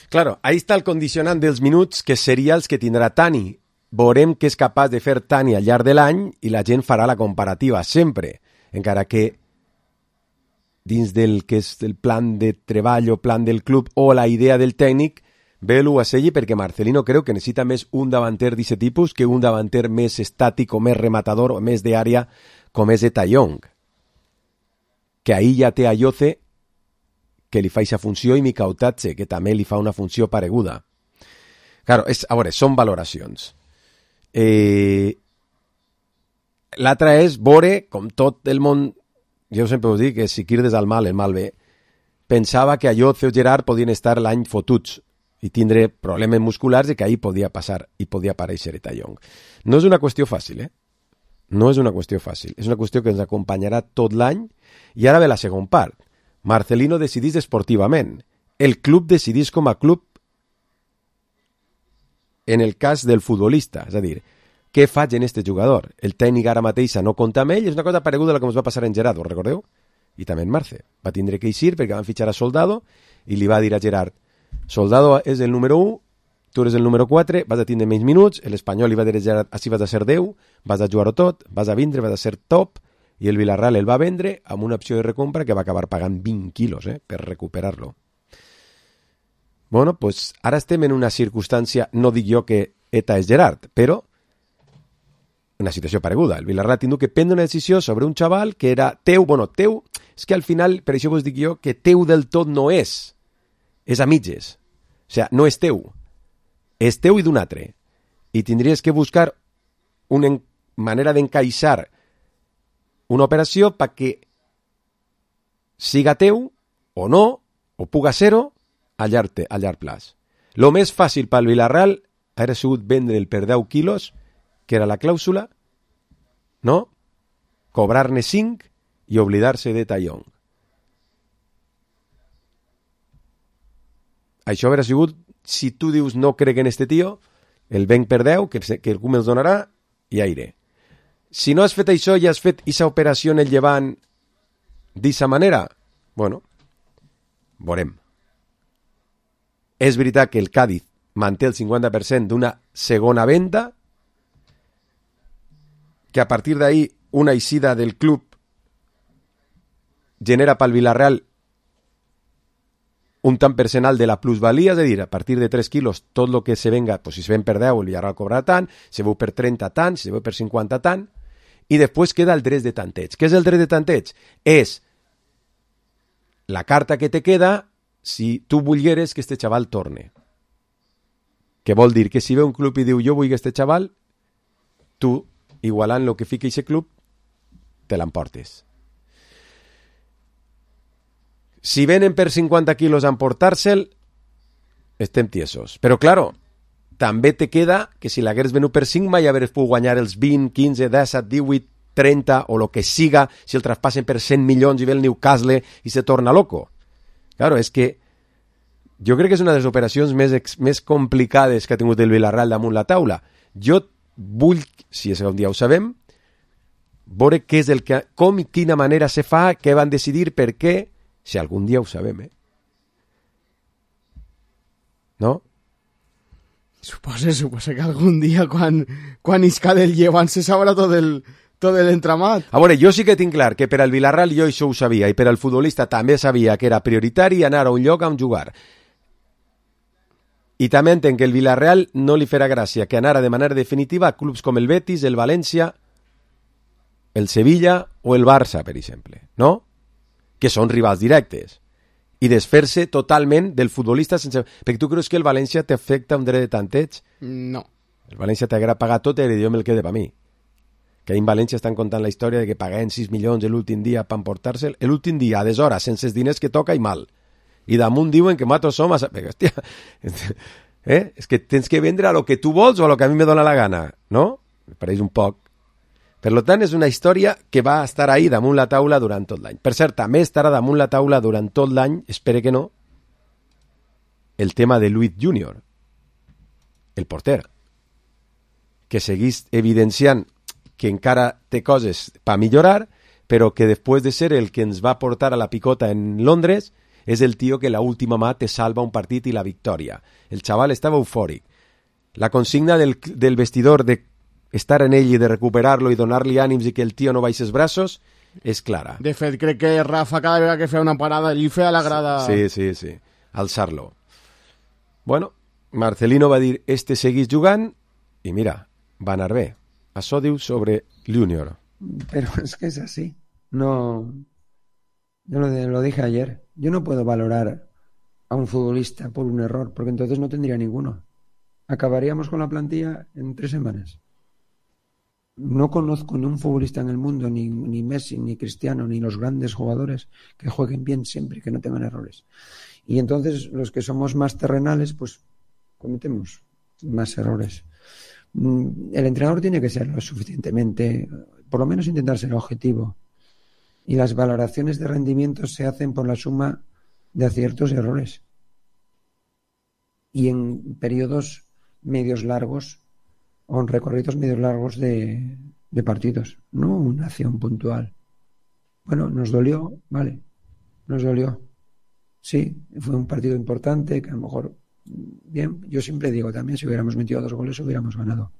Claro, ahí està el condicionant dels minuts, que seria els que tindrà Tani. Veurem què és capaç de fer Tani al llarg de l'any i la gent farà la comparativa sempre, encara que dins del que és el plan de treball o plan del club o la idea del tècnic, ve l'Uaselli perquè Marcelino creu que necessita més un davanter d'aquest tipus que un davanter més estàtic o més rematador o més d'àrea com és Eta Young. Que ahí ja té a Yoce que li fa aquesta funció i Mikautatze, que també li fa una funció pareguda. Claro, a veure, són valoracions. L'altra és veure, com tot el món, jo sempre us dic que si quirdes al mal, el mal ve, pensava que a Yoce o Gerard podien estar l'any fotuts i tindre problemes musculars i que ahir podia passar i podia aparèixer Eta Young. No és una qüestió fàcil, No és una qüestió fàcil. És una qüestió que ens acompanyarà tot l'any i ara ve la segona part. Marcelino decidís esportivament. El club decidís com a club en el cas del futbolista. És a dir, què faig en este jugador? El tècnic ara mateixa no compta amb ell. És una cosa pareguda a la que ens va passar en Gerard, ho recordeu? I també en Marce. Va tindre que eixir perquè van fitxar a Soldado i li va dir a Gerard: Soldado és el número 1, tu eres el número 4, vas a tindre menys minuts. L'Espanyol li va dir a Gerard: així vas a ser 10, vas a jugar-ho tot, vas a vindre, vas a ser top. I el Villarreal el va vendre amb una opció de recompra que va acabar pagant 20 quilos per recuperar-lo. Bueno, pues ara estem en una circumstància, no dic jo que Eta és Gerard, però una situació pareguda. El Villarreal ha tingut que prendre una decisió sobre un xaval que era teu, és que al final, per això vos dic jo, que teu del tot no és a mitges. O sigui, no és teu. És teu i d'un altre. I tindries que buscar una manera d'encaixar una operació perquè siga teu o no, o puga ser-ho, a llarg plaç. Lo més fàcil pel Villarreal hauria sigut vendre el per 10 quilos, que era la clàusula, no? Cobrar-ne 5 i oblidar-se de Tallón. Això hauria sigut, si tu dius no crec en este tio, el venc per 10, que el CUM els donarà, i aire. Si no has fet això i has fet aquesta operació en el Llevant d'aquesta manera, bueno, veurem. És veritat que el Cádiz manté el 50% d'una segona venda, que a partir d'ahí una eixida del club genera pel Villarreal un tant percental de la plusvalia, és a dir, a partir de 3 quilos, tot el que se venga, pues si se ven per 10, el Villarreal cobrarà tant, si se veu per 30 tant, si se veu per 50 tant, i després queda el dret de tanteig. Què és el dret de tanteig? És la carta que te queda si tu volgueres que este xaval torne. Que vol dir que si ve un club i diu jo vull que este xaval, tu, igualant el que fica aquest club, te l'emportes. Si venen per 50 quilos a emportar-se'l, estem tiesos. Però, claro, també te queda que si l'hagués venut per 5 mai hagués pogut guanyar els 20, 15, 17, 18, 30 o el que siga si el traspassen per 100 milions i ve el Newcastle i se torna loco. Claro, és que jo crec que és una de les operacions més complicades que ha tingut el Villarreal damunt la taula. Jo vull, si és un dia ho sabem, veure què és el que, com i quina manera se fa, què van decidir, per què, si algun dia ho sabem, no? Suposa que algun dia quan isca del Llevant se sabrà tot l'entramat. A veure, jo sí que tinc clar que per al Villarreal jo això ho sabia i per al futbolista també sabia que era prioritari anar a un lloc on jugar. I també entenc que el Villarreal no li farà gràcia que anara de manera definitiva a clubs com el Betis, el València, el Sevilla o el Barça, per exemple, no? Que són rivals directes, i desfer-se totalment del futbolista sense... Perquè tu creus que el València t'afecta un dret de tanteig? No. El València t'haguera pagat tot i jo me'l quede per mi. Que en València estan contant la història de que paguen 6 milions l'últim dia per emportar-se'l. L'últim dia, a deshores, sense els diners que toca i mal. I damunt diuen que nosaltres som... Hòstia, és que tens que vendre a lo que tu vols o a lo que a mi me dóna la gana, no? Me pareix un poc. Per tant, és una història que va estar ahí damunt la taula durant tot l'any. Per cert, també estarà damunt la taula durant tot l'any, espere que no, el tema de Luis Junior, el porter, que seguís evidenciant que encara té coses per millorar, però que després de ser el que ens va portar a la picota en Londres, és el tio que la última mà te salva un partit i la victòria. El xaval estava eufòric. La consigna del vestidor de estar en ell i de recuperar-lo i donar-li ànims i que el tio no baixi els braços és clara. De fet, crec que Rafa cada vegada que feia una parada li feia la grada... Sí, alçar-lo. Bueno, Marcelino va dir este seguís jugant i mira, va anar bé. Això diu sobre Junior. Pero es que es así. No, yo lo dije ayer. Yo no puedo valorar a un futbolista por un error, porque entonces no tendría ninguno. Acabaríamos con la plantilla en 3 semanas. No conozco ni un futbolista en el mundo, ni Messi, ni Cristiano, ni los grandes jugadores que jueguen bien siempre, que no tengan errores. Y entonces los que somos más terrenales, pues cometemos más errores. El entrenador tiene que ser lo suficientemente, por lo menos intentar ser objetivo. Y las valoraciones de rendimiento se hacen por la suma de aciertos y errores. Y en periodos medios largos, o en recorridos medios largos de partidos, no una acción puntual. Bueno, nos dolió, vale, nos dolió. Sí, fue un partido importante que a lo mejor, bien, yo siempre digo también, si hubiéramos metido 2 goles hubiéramos ganado.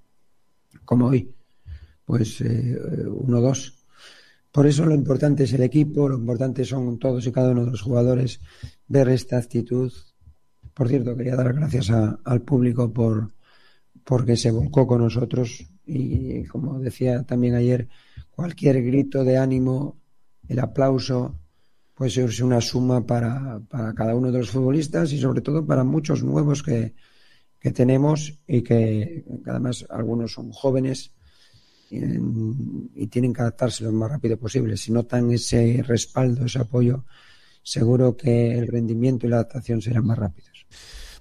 Como hoy, pues 1-2. Por eso lo importante es el equipo, lo importante son todos y cada uno de los jugadores, ver esta actitud. Por cierto, quería dar gracias al público porque se volcó con nosotros y, como decía también ayer, cualquier grito de ánimo, el aplauso, pues es una suma para cada uno de los futbolistas y sobre todo para muchos nuevos que tenemos y que además algunos son jóvenes y tienen que adaptarse lo más rápido posible. Si notan ese respaldo, ese apoyo, seguro que el rendimiento y la adaptación serán más rápidos.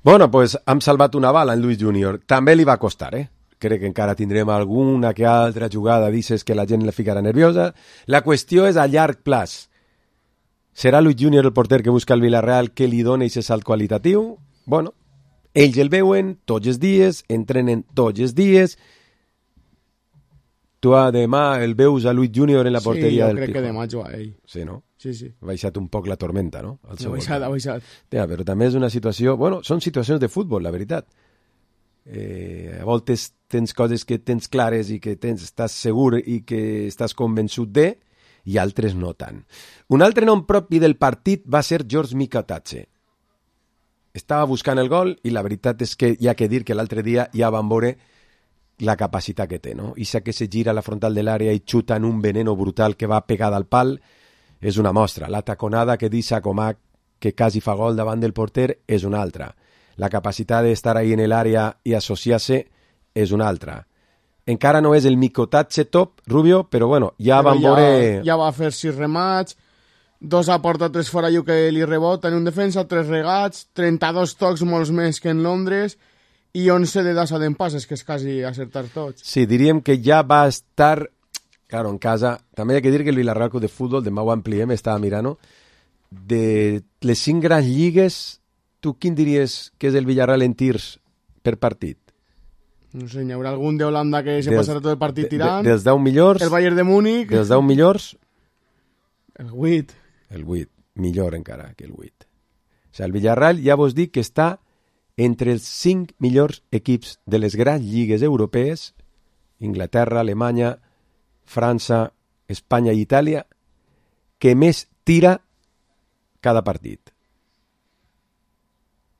Bueno, pues hem salvat una bala en Luis Junior. També li va costar, Crec que encara tindrem alguna que altra jugada dices que la gent la ficarà nerviosa. La qüestió és a llarg plaç. Serà Luis Junior el porter que busca el Villarreal que li dona aquest salt qualitatiu? Bueno, ells el veuen tots els dies, entrenen tots els dies. Tu demà el veus a Luis Junior en la porteria del Pijo. Sí, jo crec que demà juga ell. Sí, no? Sí, sí. Ha baixat un poc la tormenta, no? Ha baixat. Ja, però també és una situació... Bueno, són situacions de futbol, la veritat. A voltes tens coses que tens clares i que estàs segur i que estàs convençut de, i altres no tant. Un altre nom propi del partit va ser George Mikatatse. Estava buscant el gol i la veritat és que hi ha que dir que l'altre dia ja van veure la capacitat que té, no? Ixa que se gira a la frontal de l'àrea i xuta en un veneno brutal que va pegada al pal és una mostra. La taconada que deixa Comac, que quasi fa gol davant del porter, és una altra. La capacitat d'estar ahí en l'àrea i associar-se és una altra. Encara no és el Mikatatse top, Rubio, però bueno, ja van veure... Ja va fer 6 remats, 2 a porta, 3 fora i que li rebota en un defensa, 3 regats, 32 tocs, molts més que en Londres, i 11 de dassa d'empasses, que és quasi acertar tots. Sí, diríem que ja va estar, claro, en casa. També hi ha que dir que el Villarreal Club de Futbol, demà ho ampliem, estava mirant, de les 5 grans lligues, tu quin diries que és el Villarreal en tirs per partit? No sé, hi haurà algun d'Holanda que se passarà tot el partit tirant. Dels 10 millors... El Bayern de Múnich. Dels 10 millors... El 8. El 8, millor encara que el 8. O sigui, el Villarreal ja vos dic que està entre els 5 millors equips de les grans lligues europees, Inglaterra, Alemanya, França, Espanya i Itàlia, que més tira cada partit.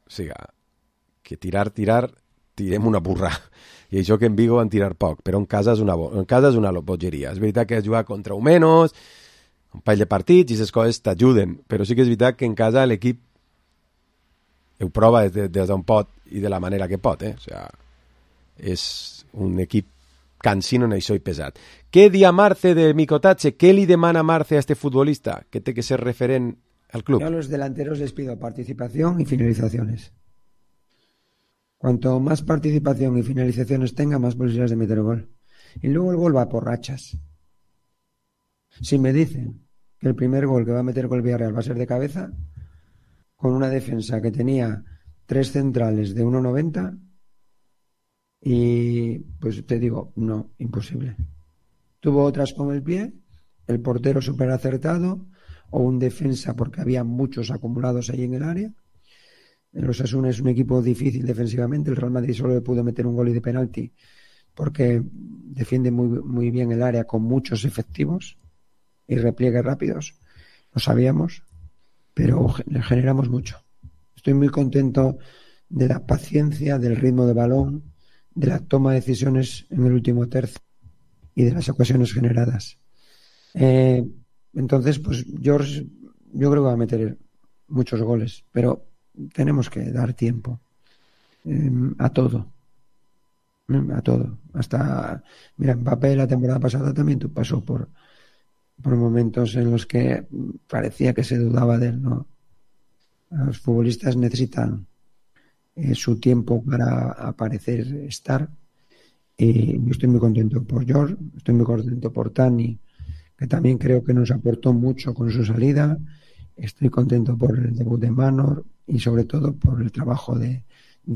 O sigui, que tirar, tirem una burra. I això que en Vigo van tirar poc, però en casa és una bogeria. És veritat que has jugat contra Umenos, un parell de partits i aquestes coses t'ajuden, però sí que és veritat que en casa l'equip ho prova des d'on pot i de la manera que pot, O sigui, és un equip cansino en això i pesat. Què dia Marce de Mikatatse? Què li demana Marce a este futbolista que té que ser referent al club? Yo a los delanteros les pido participación y finalizaciones. Cuanto más participación y finalizaciones tenga, más posibilidades de meter gol. Y luego el gol va por rachas. Si me dicen que el primer gol que va a meter gol Villarreal va a ser de cabeza, con una defensa que tenía 3 centrales de 1,90, y pues te digo, no, imposible. Tuvo otras con el pie, el portero súper acertado, o un defensa porque había muchos acumulados ahí en el área. El Osasuna es un equipo difícil defensivamente, el Real Madrid solo le pudo meter un gol y de penalti porque defiende muy bien el área con muchos efectivos y repliegues rápidos, lo sabíamos, pero le generamos mucho. Estoy muy contento de la paciencia, del ritmo de balón, de la toma de decisiones en el último tercio y de las ocasiones generadas. Entonces, pues George, yo creo que va a meter muchos goles, pero tenemos que dar tiempo a todo. Hasta, mira, Mbappé la temporada pasada también pasó por momentos en los que parecía que se dudaba de él, ¿no? Los futbolistas necesitan su tiempo para aparecer, estar, y yo estoy muy contento por George, estoy muy contento por Tani, que también creo que nos aportó mucho con su salida. Estoy contento por el debut de Manor y sobre todo por el trabajo de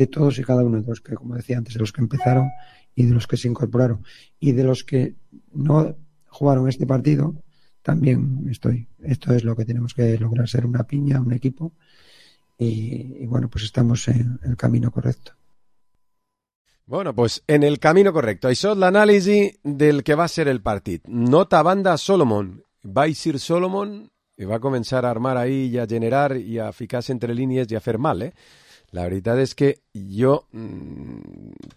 todos y cada uno de los que, como decía antes, de los que empezaron y de los que se incorporaron y de los que no jugaron este partido. También estoy. Esto es lo que tenemos que lograr, ser una piña, un equipo, y bueno, pues estamos en el camino correcto. Bueno, pues en el camino correcto. Això és l'anàlisi del que va ser el partit. Nota banda Solomon. Va eixir Solomon i va començar a armar ahí i a generar i a ficar-se entre línies i a fer mal, La veritat és que jo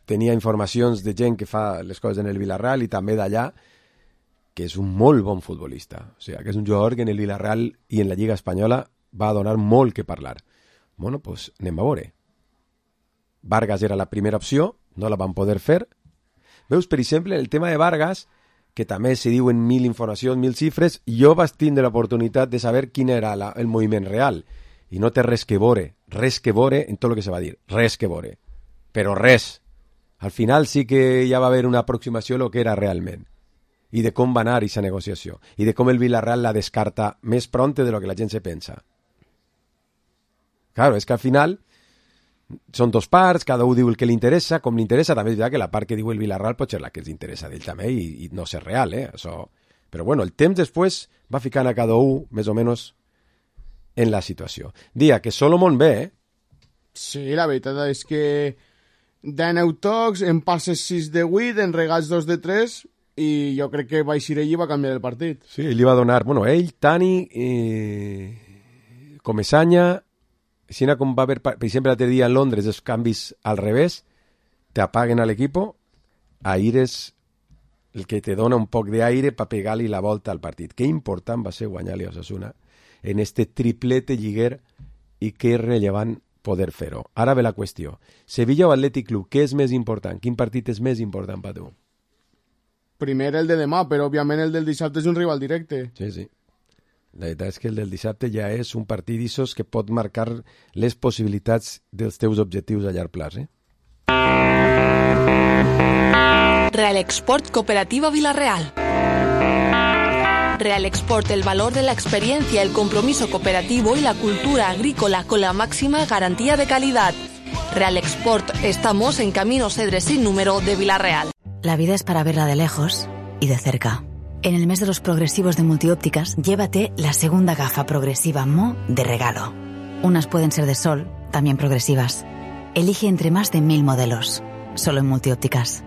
tenia informacions de gent que fa les coses en el Villarreal i també d'allà, que és un molt bon futbolista. O sigui, que és un jugador que en el Villarreal i en la Lliga Espanyola va donar molt que parlar. Bueno, pues anem a veure. Vargas era la primera opció, no la van poder fer. Veus, per exemple, el tema de Vargas, que també s'hi diuen 1000 informacions, 1000 xifres, jo vaig tindre l'oportunitat de saber quin era el moviment real, i no té res que veure en tot el que se va dir, res que veure, però res. Al final sí que ja va haver una aproximació a lo que era realment, i de com va anar aquesta negociació, i de com el Villarreal la descarta més pronte de lo que la gent se pensa. Claro, és que al final són dos parts, cada un diu el que li interessa, com li interessa, també és veritat que la part que diu el Villarreal pot ser la que els interessa d'ell també i no ser real, això. Però bueno, el temps després va ficant a cada un més o menys en la situació. Dia que Solomon ve, Sí, la veritat és que d'aneu tocs, en passes 6 de 8, en regals 2 de 3, i jo crec que va eixir ell i va canviar el partit. sí, li va donar, bueno, ell, Tani, Comesaña, Sina com va haver, per exemple, l'altre dia en Londres, els canvis al revés, t'apaguen a l'equipo, Aire és el que te dona un poc d'aire per pegar-li la volta al partit. Que important va ser guanyar-li a Osasuna en este triplete lliguer i que rellevant poder fer-ho. Ara ve la qüestió. Sevilla o Atlètic Club, què és més important? Quin partit és més important per tu? Primer el de demà, però òbviament el del dissabte és un rival directe. Sí, sí. La veritat és que el del dissabte ja és un partit d'issos que pot marcar les possibilitats dels teus objectius a llarg plaç, Real Export Cooperativa Villarreal. Real Export, el valor de la experiencia, el compromiso cooperativo y la cultura agrícola con la máxima garantía de calidad. Real Export, estamos en Camino Cedres sin número de Villarreal. La vida es para verla de lejos y de cerca. En el mes de los progresivos de Multiópticas, llévate la segunda gafa progresiva Mo de regalo. Unas pueden ser de sol, también progresivas. Elige entre más de 1000 modelos, solo en Multiópticas.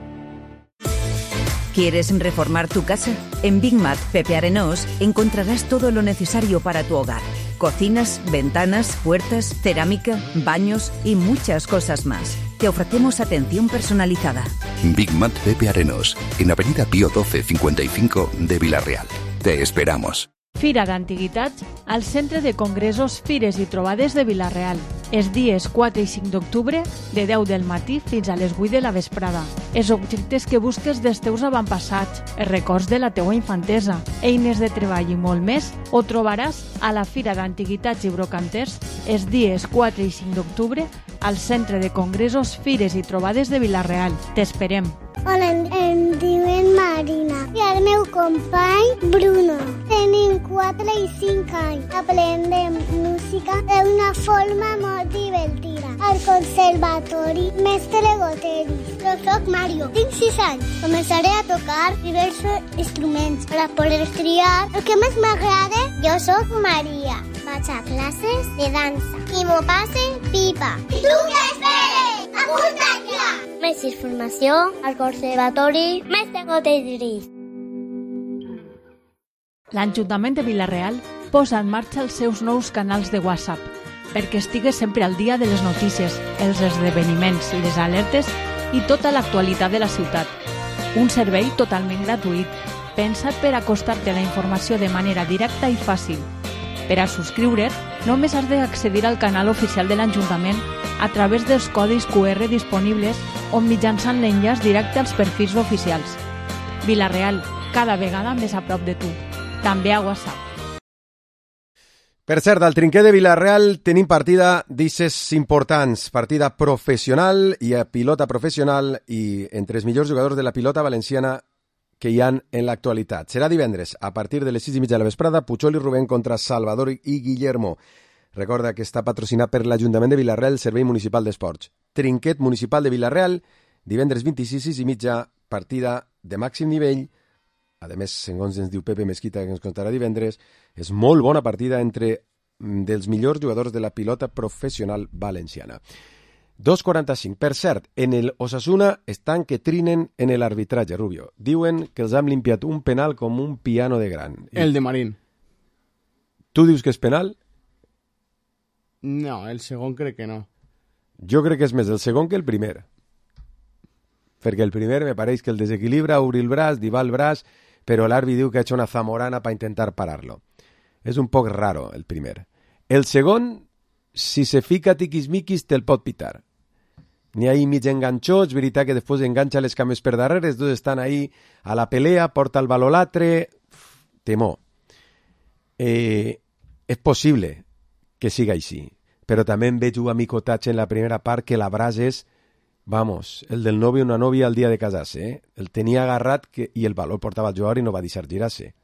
¿Quieres reformar tu casa? En Big Mat Pepe Arenós encontrarás todo lo necesario para tu hogar. Cocinas, ventanas, puertas, cerámica, baños y muchas cosas más. Te ofrecemos atención personalizada. Big Mat Pepe Arenós, en Avenida Pío 12 55 de Villarreal. Te esperamos. Fira d'Antiguitats al Centre de Congressos, Fires i Trobades de Vila-real. Els dies 4 i 5 d'octubre, de 10 del matí fins a les 8 de la vesprada. Els objectes que busques dels teus avantpassats, els records de la teua infantesa, eines de treball i molt més, ho trobaràs a la Fira d'Antiguitats i Brocanters els dies 4 i 5 d'octubre al Centre de Congressos, Fires i Trobades de Vila-real. T'esperem. Hola, em diuen Marina i el meu company Bruno. Tenim 4 i 5 anys. Aprendem música d'una forma molt divertida. Al conservatori Mestre Goteris. Jo soc Mario, tinc 6 anys. Començaré a tocar diversos instruments per a poder triar el que més m'agrada. Jo soc Maria. Vaig a classes de dansa i m'ho passe pipa. I tu què esperes? Apunta't ja! Més informació al Conservatori Mestre Goteris. L'Ajuntament de Vila-real posa en marxa els seus nous canals de WhatsApp perquè estigues sempre al dia de les notícies, els esdeveniments i les alertes i tota l'actualitat de la ciutat. Un servei totalment gratuït, pensat per acostar-te a la informació de manera directa i fàcil. Per a subscriure't, només has d'accedir al canal oficial de l'Ajuntament a través dels codis QR disponibles o mitjançant l'enllaç directe als perfils oficials. Vila-real, cada vegada més a prop de tu. També a WhatsApp. Per cert, al trinquer de Vila-real tenim partida d'isses importants, partida professional i a pilota professional i entre els millors jugadors de la pilota valenciana que hi ha en l'actualitat. Serà divendres, a partir de les 6:30 de la vesprada, Puchol i Rubén contra Salvador i Guillermo. Recorda que està patrocinat per l'Ajuntament de Vila-real, Servei Municipal d'Esports. Trinquet Municipal de Vila-real, divendres 26, 6:30, partida de màxim nivell. A més, segons ens diu Pepe Mesquita, que ens contarà divendres, és molt bona partida entre dels millors jugadors de la pilota professional valenciana. 2:45. Per cert, en el Osasuna estan que trinen en l'arbitratge, Rubio. Diuen que els han limpiat un penal com un piano de gran. El de Marín. Tu dius que és penal? No, el segon crec que no. Jo crec que és més el segon que el primer. Perquè el primer me pareix que el desequilibra, obri el braç, diva el braç, però l'àrbit diu que ha hecho una zamorana para intentar pararlo. És un poc raro el primer. El segon, si se fica tiquismiquis, te'l pot pitar. N'hi ha ahí mig enganxots, veritat que després enganxa les cames per darrere, els dos estan ahí a la pelea, porta el baló l'altre, temor. És possible que siga així, però també em veig un amicotatge en la primera part que l'abraç és, vamos, el del novio o una novia al dia de casar-se, eh? El tenia agarrat i el baló el portava al jugador i no va deixar girar-se.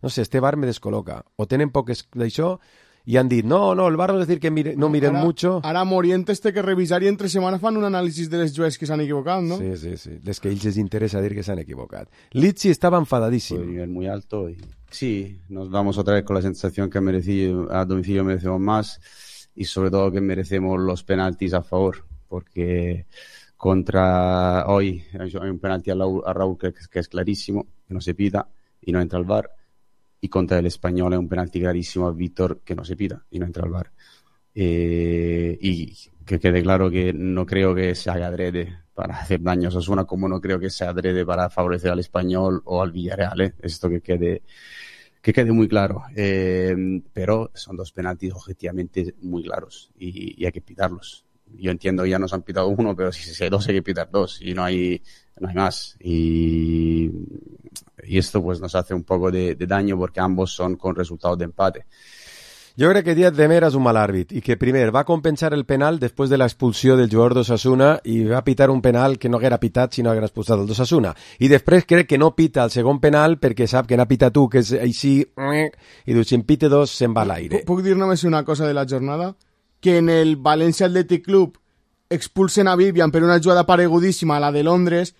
No sé, este bar me descol·loca. O tenen poc d'això i han dit, no, el bar no és dir que no miren mucho. Ara Morientes té que revisar i entre setmana fan un anàlisi de les jugadors que s'han equivocat, ¿no? Sí. Les que a ells les interesa dir que s'han equivocat. Lizzi estaba enfadadísimo. Un nivel muy alto y sí, nos vamos otra vez con la sensación que a domicilio merecemos más y sobre todo que merecemos los penaltis a favor, porque contra hoy hay un penalti a Raúl que es clarísimo, que no se pita y no entra al VAR, y contra el Español hay un penalti clarísimo a Víctor que no se pita y no entra al VAR. Y que quede claro que no creo que se haga adrede para hacer daño a Osasuna, como no creo que sea adrede para favorecer al Español o al Villarreal, esto que quede muy claro, pero son dos penaltis objetivamente muy claros y hay que pitarlos. Yo entiendo que ya nos han pitado uno, pero si hay dos hay que pitar dos y no hay más. Y esto pues nos hace un poco de daño porque ambos son con resultados de empate. Jo crec que Díaz de Mera és un mal àrbit i que primer va compensar el penal després de l'expulsió del jugador d'Osasuna i va pitar un penal que no haguera pitat si no haguera expulsat el d'Osasuna. I després crec que no pita el segon penal perquè sap que n'ha pitat tu, que és així, i diu, si en pite dos se'n va a l'aire. Puc dir només una cosa de la jornada? Que en el València Athletic Club expulsen a Vivian per una jugada paregudíssima, la de Londres,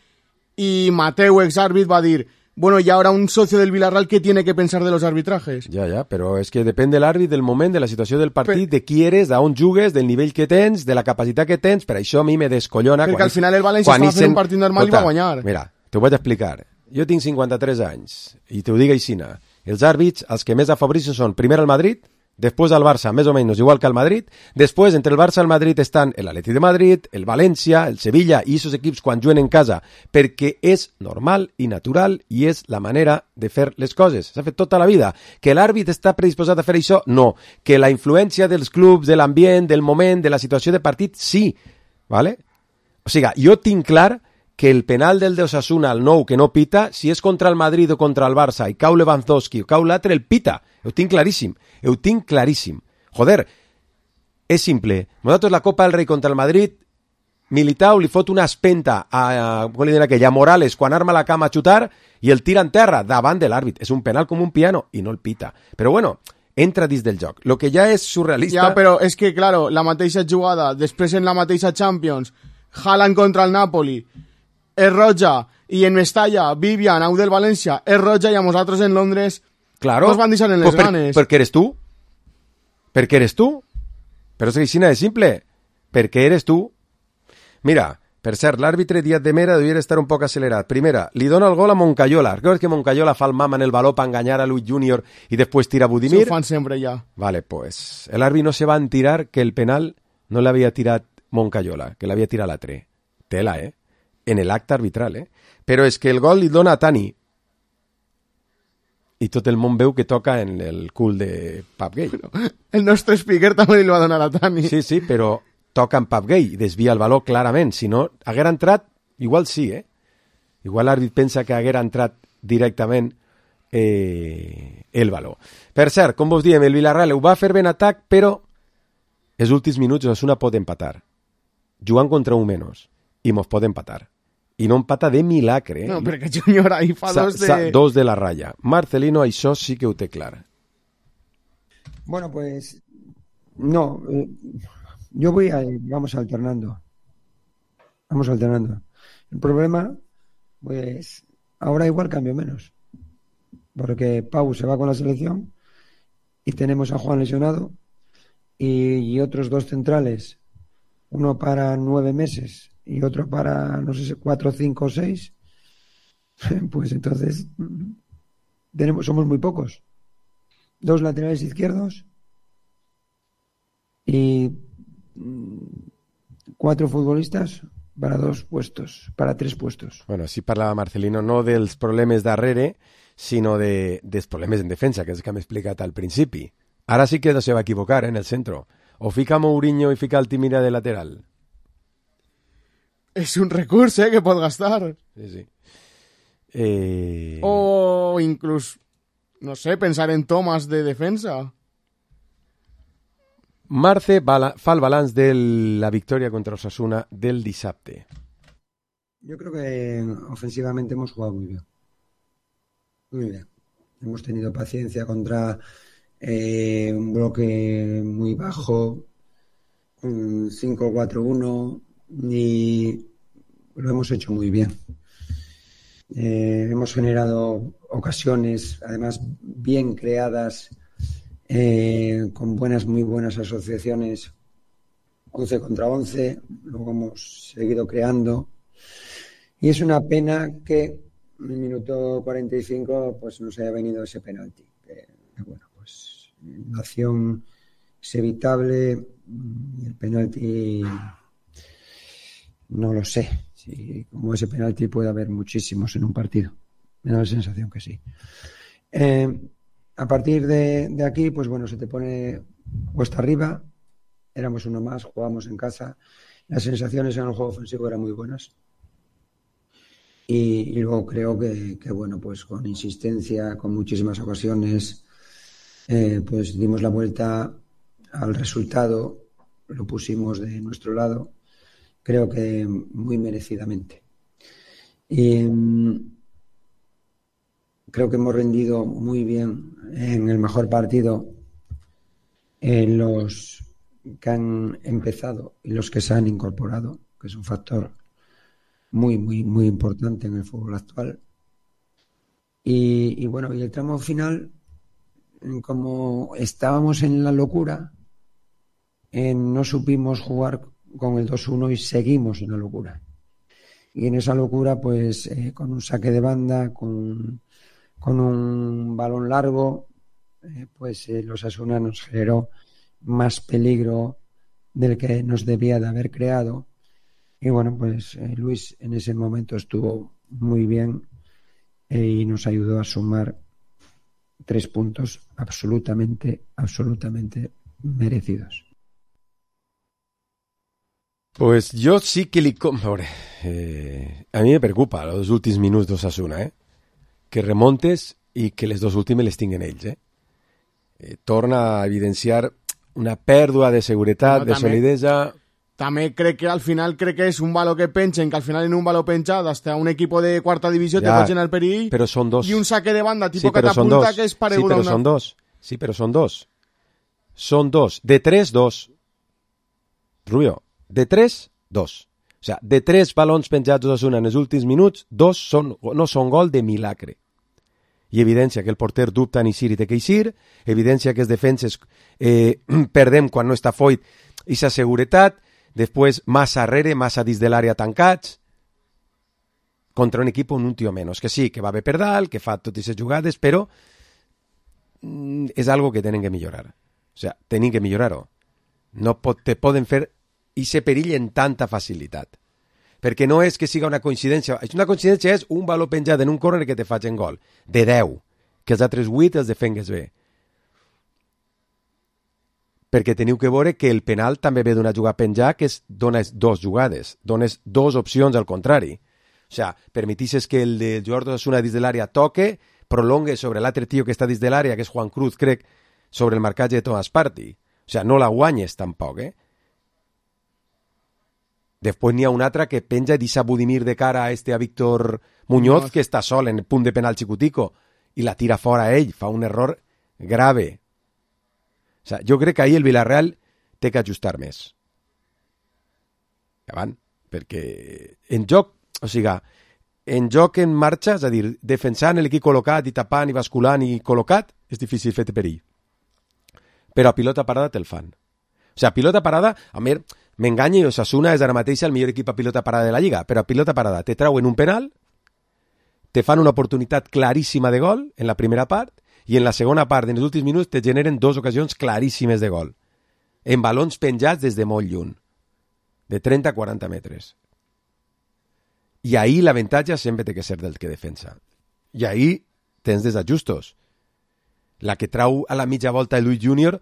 i Mateu, exàrbit, va dir, bueno, y ahora un socio del Villarreal que tiene que pensar de los arbitrajes. Ja, però és que depèn de l'àrbit, del moment, de la situació del partit, de qui eres, d'on jugues, del nivell que tens, de la capacitat que tens, per això a mi me descollona. Perquè al final el València estava fent un partit normal i va guanyar. Mira, t'ho vaig explicar. Jo tinc 53 anys, i t'ho dic aixina. Els àrbits, els que més afavoreixen són primer el Madrid, després al Barça, més o menys igual que al Madrid, després entre el Barça i el Madrid estan l'Atleti de Madrid, el València, el Sevilla i aquests equips quan juguen en casa, perquè és normal i natural i és la manera de fer les coses. S'ha fet tota la vida. Que l'àrbit està predisposat a fer això? No. Que la influència dels clubs, de l'ambient, del moment, de la situació de partit, sí. ¿Vale? O sigui, jo tinc clar que el penal del d'Osasuna, el nou, que no pita, si és contra el Madrid o contra el Barça i cau Lewandowski o cau l'altre, el pita. Ho tinc claríssim. Joder, és simple. Nosaltres la Copa del Rei contra el Madrid, Militao li fot una espenta a Morales quan arma la cama a xutar i el tira en terra davant de l'àrbit. És un penal com un piano i no el pita. Però bueno, entra dins del joc. Lo que ja és surrealista... Ja, però és que, claro, la mateixa jugada, després en la mateixa Champions, Haaland contra el Napoli, és roja, i en Mestalla, Vivian, au del València, és roja, i a nosaltres en Londres nos van deixar en les ganes. Perquè eres tu. Perquè eres tu. Però és que així és simple. Perquè eres tu. Mira, per cert, l'àrbitre Díaz de Mera devia estar un poc accelerat. Primera, li dona el gol a Moncayola. Recordes que Moncayola fa el mama en el baló per enganyar a Luis Junior i després tira a Budimir? Això ho fan sempre ja. Vale, pues el àrbit no se va enterar que el penal no l'havia tirat Moncayola, que l'havia tirat l'altre. Tela, en l'acte arbitral, Però és que el gol li dona a Tani. I tot el món veu que toca en el cul de Pap Gay. El nostre speaker també li va donar a Tani. Sí, però toca en Pap Gay i desvia el baló clarament. Si no, haguera entrat, igual sí, Igual l'àrbit pensa que haguera entrat directament el baló. Per cert, com vos diem, el Villarreal ho va fer ben atac, però els últims minuts Osasuna pot empatar. Jugant contra un menys. I mos pot empatar. I no empata de milagre. No, perquè Junior ahí fa dos de la raya. Marcelino, això sí que ho té clar. Bueno, pues no, vamos alternando. El problema, pues ahora igual cambio menos. Porque Pau se va con la selección y tenemos a Juan lesionado y otros dos centrales, uno para 9 meses y otro para, no sé, 4, 5 o 6, pues entonces somos muy pocos. 2 laterales izquierdos y 4 futbolistas para 2 puestos, para 3 puestos. Bueno, sí parlava Marcelino no dels problemes darrere, sinó dels problemes en defensa, que és el que m'he explicat al principi. Ara sí que no se va equivocar en el centro. O fica Mourinho i fica Altimira de lateral. És un recurs, que pot gastar. Sí. O inclús, no sé, pensar en tomas de defensa. Marce fa el balanç de la victòria contra Osasuna del dissabte. Yo creo que ofensivamente hemos jugado muy bien. Muy bien. Hemos tenido paciencia contra un bloque muy bajo, un 5-4-1, y lo hemos hecho muy bien. Hemos generado ocasiones, además bien creadas, con muy buenas asociaciones, 11 contra 11, luego hemos seguido creando. Y es una pena que en el minuto 45 pues nos haya venido ese penalti. Bueno, pues la acción es evitable y el penalti no lo sé. Si como ese penalti puede haber muchísimos en un partido. Me da la sensación que sí. A partir de aquí, pues bueno, se te pone cuesta arriba. Éramos uno más, jugábamos en casa. Las sensaciones en el juego ofensivo eran muy buenas. Y luego creo que bueno, pues con insistencia, con muchísimas ocasiones, pues dimos la vuelta al resultado, lo pusimos de nuestro lado, creo que muy merecidamente. Y creo que hemos rendido muy bien en el mejor partido en los que han empezado y los que se han incorporado, que es un factor muy, muy, muy importante en el fútbol actual. Y bueno, y el tramo final, como estábamos en la locura, no supimos jugar con el 2-1 y seguimos en la locura. Y en esa locura, pues con un saque de banda, con un balón largo, pues los Osasuna nos generó más peligro del que nos debía de haber creado. Y bueno, pues Luis en ese momento estuvo muy bien y nos ayudó a sumar 3 puntos absolutamente merecidos. Pues jo sí que li... a mi me preocupa els últims minuts d'Osasuna, que remontes i que les dos últimes les tinguen ells. Torna a evidenciar una pèrdua de seguretat, de solidesa... També crec que al final és un valor que pengen, que al final en un valor penjat hasta un equipo de cuarta divisió te pot generar perill, però són dos. I un saque de banda tipo catapulta que és paregut a una... Sí, però són dos. Són dos. De 3, 2. Rubio, de 3, 2. O sea, de 3 balons penjats d'Osasuna en els últims minuts, 2 no són gol de milagre. I evidència que el porter dubta en eixir i té que eixir, evidència que els defenses perdem quan no està Foyt i sa seguretat, després massa arrere, massa dins de l'àrea tancats, contra un equip on un tio menys, que sí, que va bé per dalt, que fa totes aquestes jugades, però és algo que tenen que millorar. O sea, tenen que millorar-ho. No te poden fer ese perill en tanta facilitat. Perquè no és que siga una coincidència. Una coincidència és un valor penjat en un córner que te facin gol. De 10. Que els altres 8 els defengues bé. Perquè teniu que veure que el penal també ve d'una jugada penjada que dones 2 jugades, dones 2 opcions al contrari. O sea, permetisses que el de jugador d'Osasuna dins de l'àrea toque, prolongue sobre l'altre tio que està dins de l'àrea, que és Juan Cruz, crec, sobre el marcatge de Thomas Partey. O sea, no la guanyes tampoc, Després n'hi ha un altre que penja i deixa Budimir de cara a Víctor Muñoz, que està sol en el punt de penal xicutico, i la tira fora a ell, fa un error grave. O sea, jo crec que ahir el Villarreal té que ajustar més. Davant, perquè en joc, o sigui, en joc en marxa, és a dir, defensant l'equip col·locat i tapant i basculant i col·locat, és difícil fer-te perill. Però a pilota parada te'l fan. O sigui, a pilota parada, a mi m'enganya i Osasuna és ara mateix el millor equip a pilota parada de la Lliga, però a pilota parada te trauen un penal, te fan una oportunitat claríssima de gol en la primera part, i en la segona part, en els últims minuts, te generen 2 ocasions claríssimes de gol. En balons penjats des de molt lluny. De 30 a 40 metres. I ahir l'avantatge sempre té que ser del que defensa. I ahir tens desajustos. La que trau a la mitja volta de Luis Júnior,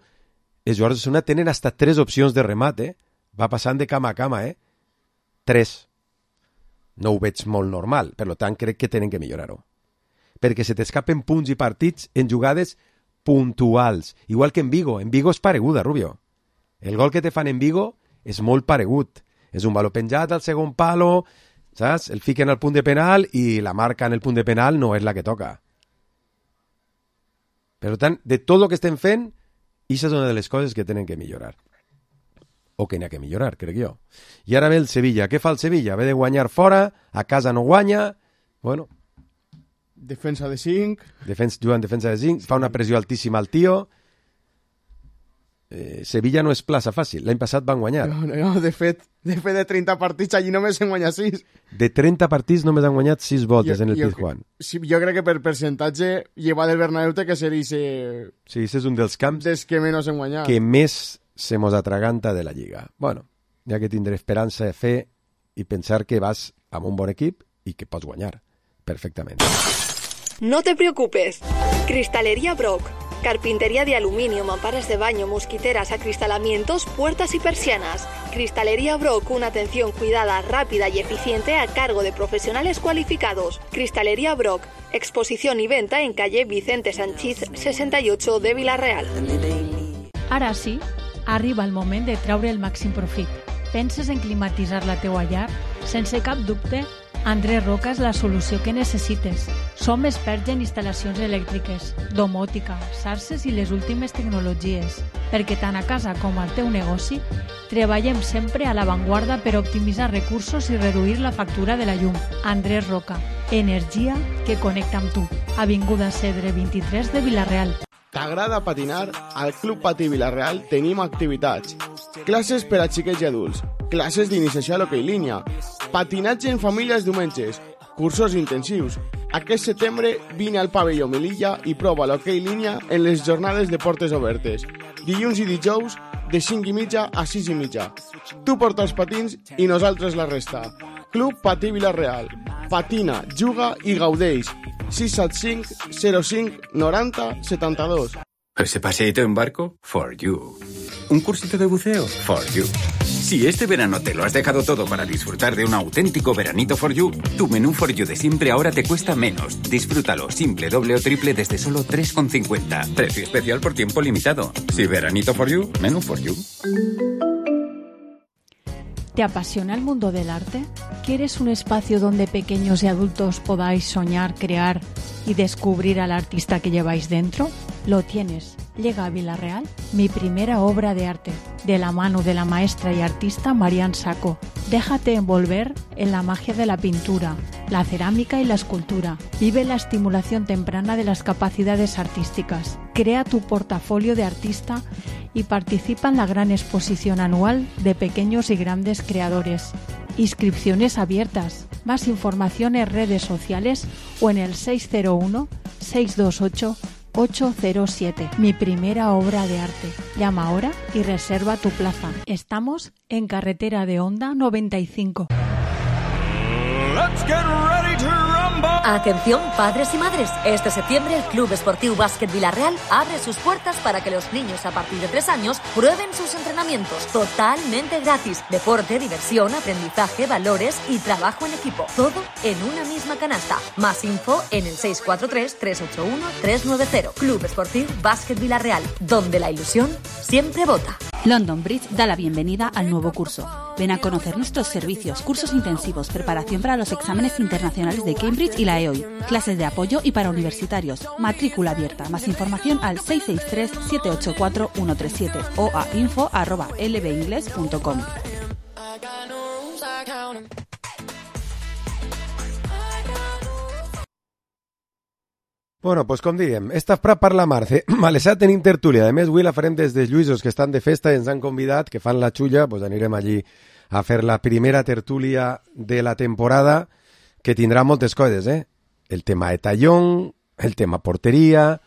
els jugadors de Osasuna tenen hasta 3 opcions de remat, Va passant de cama a cama, 3. no ho veig molt normal, per tant crec que tenen que millorar-ho. Perquè se t'escapen punts i partits en jugades puntuals, igual que en Vigo. En Vigo és pareguda, Rubio. El gol que te fan en Vigo és molt paregut. És un baló penjat al segon palo, saps? El fiquen al punt de penal i la marca en el punt de penal no és la que toca. Per tant, de tot el que estem fent, això és una de les coses que tenen que millorar. O que n'hi ha que millorar, crec jo. I ara ve el Sevilla. Què fa el Sevilla? Ve de guanyar fora, a casa no guanya, bueno... Defensa de 5. Juga en defensa de 5, fa una pressió altíssima al tio. Sevilla no és plaça fàcil. L'any passat van guanyar. No, de fet de 30 partits allí només en guanya 6. De 30 partits només han guanyat 6 voltes en el Pizjuán. Sí, jo crec que per percentatge lleva del Bernabéu que seria sí, és un dels camps des que menys han guanyat. Que més se mos atraganta de la Lliga. Bueno, ja que tindré esperança de fer i pensar que vas amb un bon equip i que pots guanyar perfectament. No te preocupes. Cristalería Brock. Carpintería de aluminio, mamparas de baño, mosquiteras, acristalamientos, puertas y persianas. Cristalería Brock, una atención cuidada, rápida y eficiente a cargo de profesionales cualificados. Cristalería Brock, exposición y venta en calle Vicente Sanchís 68 de Vila-real. Ara sí, arriba el moment de treure el màxim profit. Penses en climatitzar la teua llar? Sense cap dubte, Andrés Roca és la solució que necessites. Som experts en instal·lacions elèctriques, domòtica, xarxes i les últimes tecnologies, perquè tant a casa com al teu negoci treballem sempre a l'avantguarda per optimitzar recursos i reduir la factura de la llum. Andrés Roca, energia que connecta amb tu. Avinguda Cedre 23 de Vila-real. T'agrada patinar? Al Club Patí Vila-real tenim activitats. Classes per a xiquets i adults, classes d'iniciació a l'hoquei línia, patinatge en famílies diumenges, cursos intensius. Aquest setembre vine al pavelló Melilla i prova l'hoquei línia en les jornades de portes obertes. Dilluns i dijous de 5:30 a 6:30. Tu porta els patins i nosaltres la resta. Club Patí Vila-real. Patina, juga i gaudeix. 675 05 90 72. ¿Ese paseíto en barco? For you. ¿Un cursito de buceo? For you. Si este verano te lo has dejado todo para disfrutar de un auténtico veranito for you, tu menú for you de siempre ahora te cuesta menos. Disfrútalo simple, doble o triple desde solo 3,50. Precio especial por tiempo limitado. Si veranito for you, menú for you. ¿Te apasiona el mundo del arte? ¿Quieres un espacio donde pequeños y adultos podáis soñar, crear y descubrir al artista que lleváis dentro? Lo tienes. Llega a Vila-real mi primera obra de arte, de la mano de la maestra y artista Marian Sacco. Déjate envolver en la magia de la pintura, la cerámica y la escultura. Vive la estimulación temprana de las capacidades artísticas. Crea tu portafolio de artista y participa en la gran exposición anual de pequeños y grandes creadores. Inscripciones abiertas. Más información en redes sociales o en el 601-628-807. Mi primera obra de arte. Llama ahora y reserva tu plaza. Estamos en Carretera de Honda 95. Let's get ready to rumble. Atención, padres y madres. Este septiembre el Club Esportiu Bàsquet Vila-real abre sus puertas para que los niños a partir de 3 años prueben sus entrenamientos totalmente gratis. Deporte, diversión, aprendizaje, valores y trabajo en equipo. Todo en una misma canasta. Más info en el 643-381-390. Club Esportiu Bàsquet Vila-real, donde la ilusión siempre vota. London Bridge da la bienvenida al nuevo curso. Ven a conocer nuestros servicios, cursos intensivos, preparación para los exámenes internacionales de Cambridge y la EOI, clases de apoyo y para universitarios, matrícula abierta. Más información al 663-784-137 o a info@lbingles.com. Bueno, pues com diem, esta per la Marce. Malesà tenim tertúlia. A més, avui la farem des dels Lluïsos, que estan de festa i ens han convidat, que fan la xulla, doncs anirem allí a fer la primera tertúlia de la temporada, que tindrà moltes coses, eh? El tema de tallón, el tema porteria,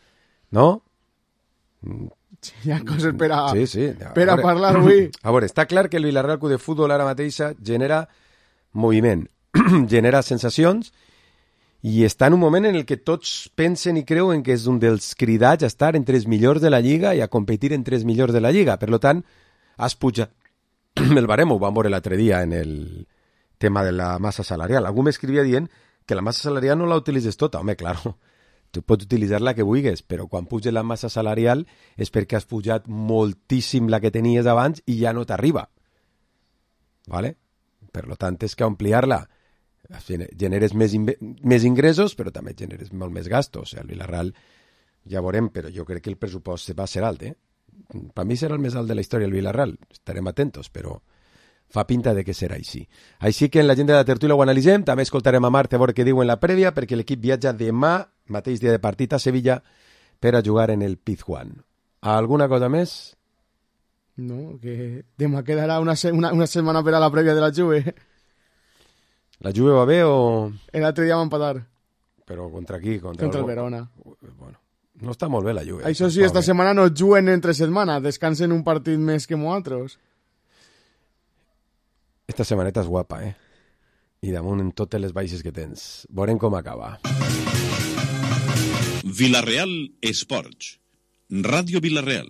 no? Sí, hi ha coses per a, sí. Per a parlar avui. A veure, està clar que el Vila-real Club de Futbol ara mateixa genera moviment, genera sensacions, i està en un moment en el que tots pensen i creuen que és un dels cridats a estar entre els millors de la Lliga i a competir entre els millors de la Lliga. Per tant, has pujat el barem, ho vam veure l'altre dia en tema de la massa salarial. Algú m'escrivia dient que la massa salarial no la utilitzes tota. Home, claro, tu pots utilitzar la que vulguis, però quan puja la massa salarial és perquè has pujat moltíssim la que tenies abans i ja no t'arriba. ¿Vale? Per tant, és que ampliar-la generes més ingressos, però també generes molt més gastos. El Villarreal ja veurem, però jo crec que el pressupost va ser alt, Per mi serà el més alt de la història el Villarreal. Estarem atentos, però fa pinta de que serà així. Així que en l'agenda de tertúlia ho analitzem. També escoltarem a Mart a veure què diu en la prèvia, perquè l'equip viatja demà, mateix dia de partit, a Sevilla per a jugar en el Pizjuán. ¿Alguna cosa més? No, que demà quedarà una setmana per a la prèvia de la Juve. La Juve va bé o...? L'altre dia va empatar. Però contra qui? Contra el Verona. Bueno, no està molt bé la Juve. Això sí, esta setmana no juguen entre setmana, descansen un partit més que nosaltres. Esta setmaneta és guapa, I damunt en totes les baixes que tens. Veurem com acaba. Villarreal Esports. Ràdio Villarreal.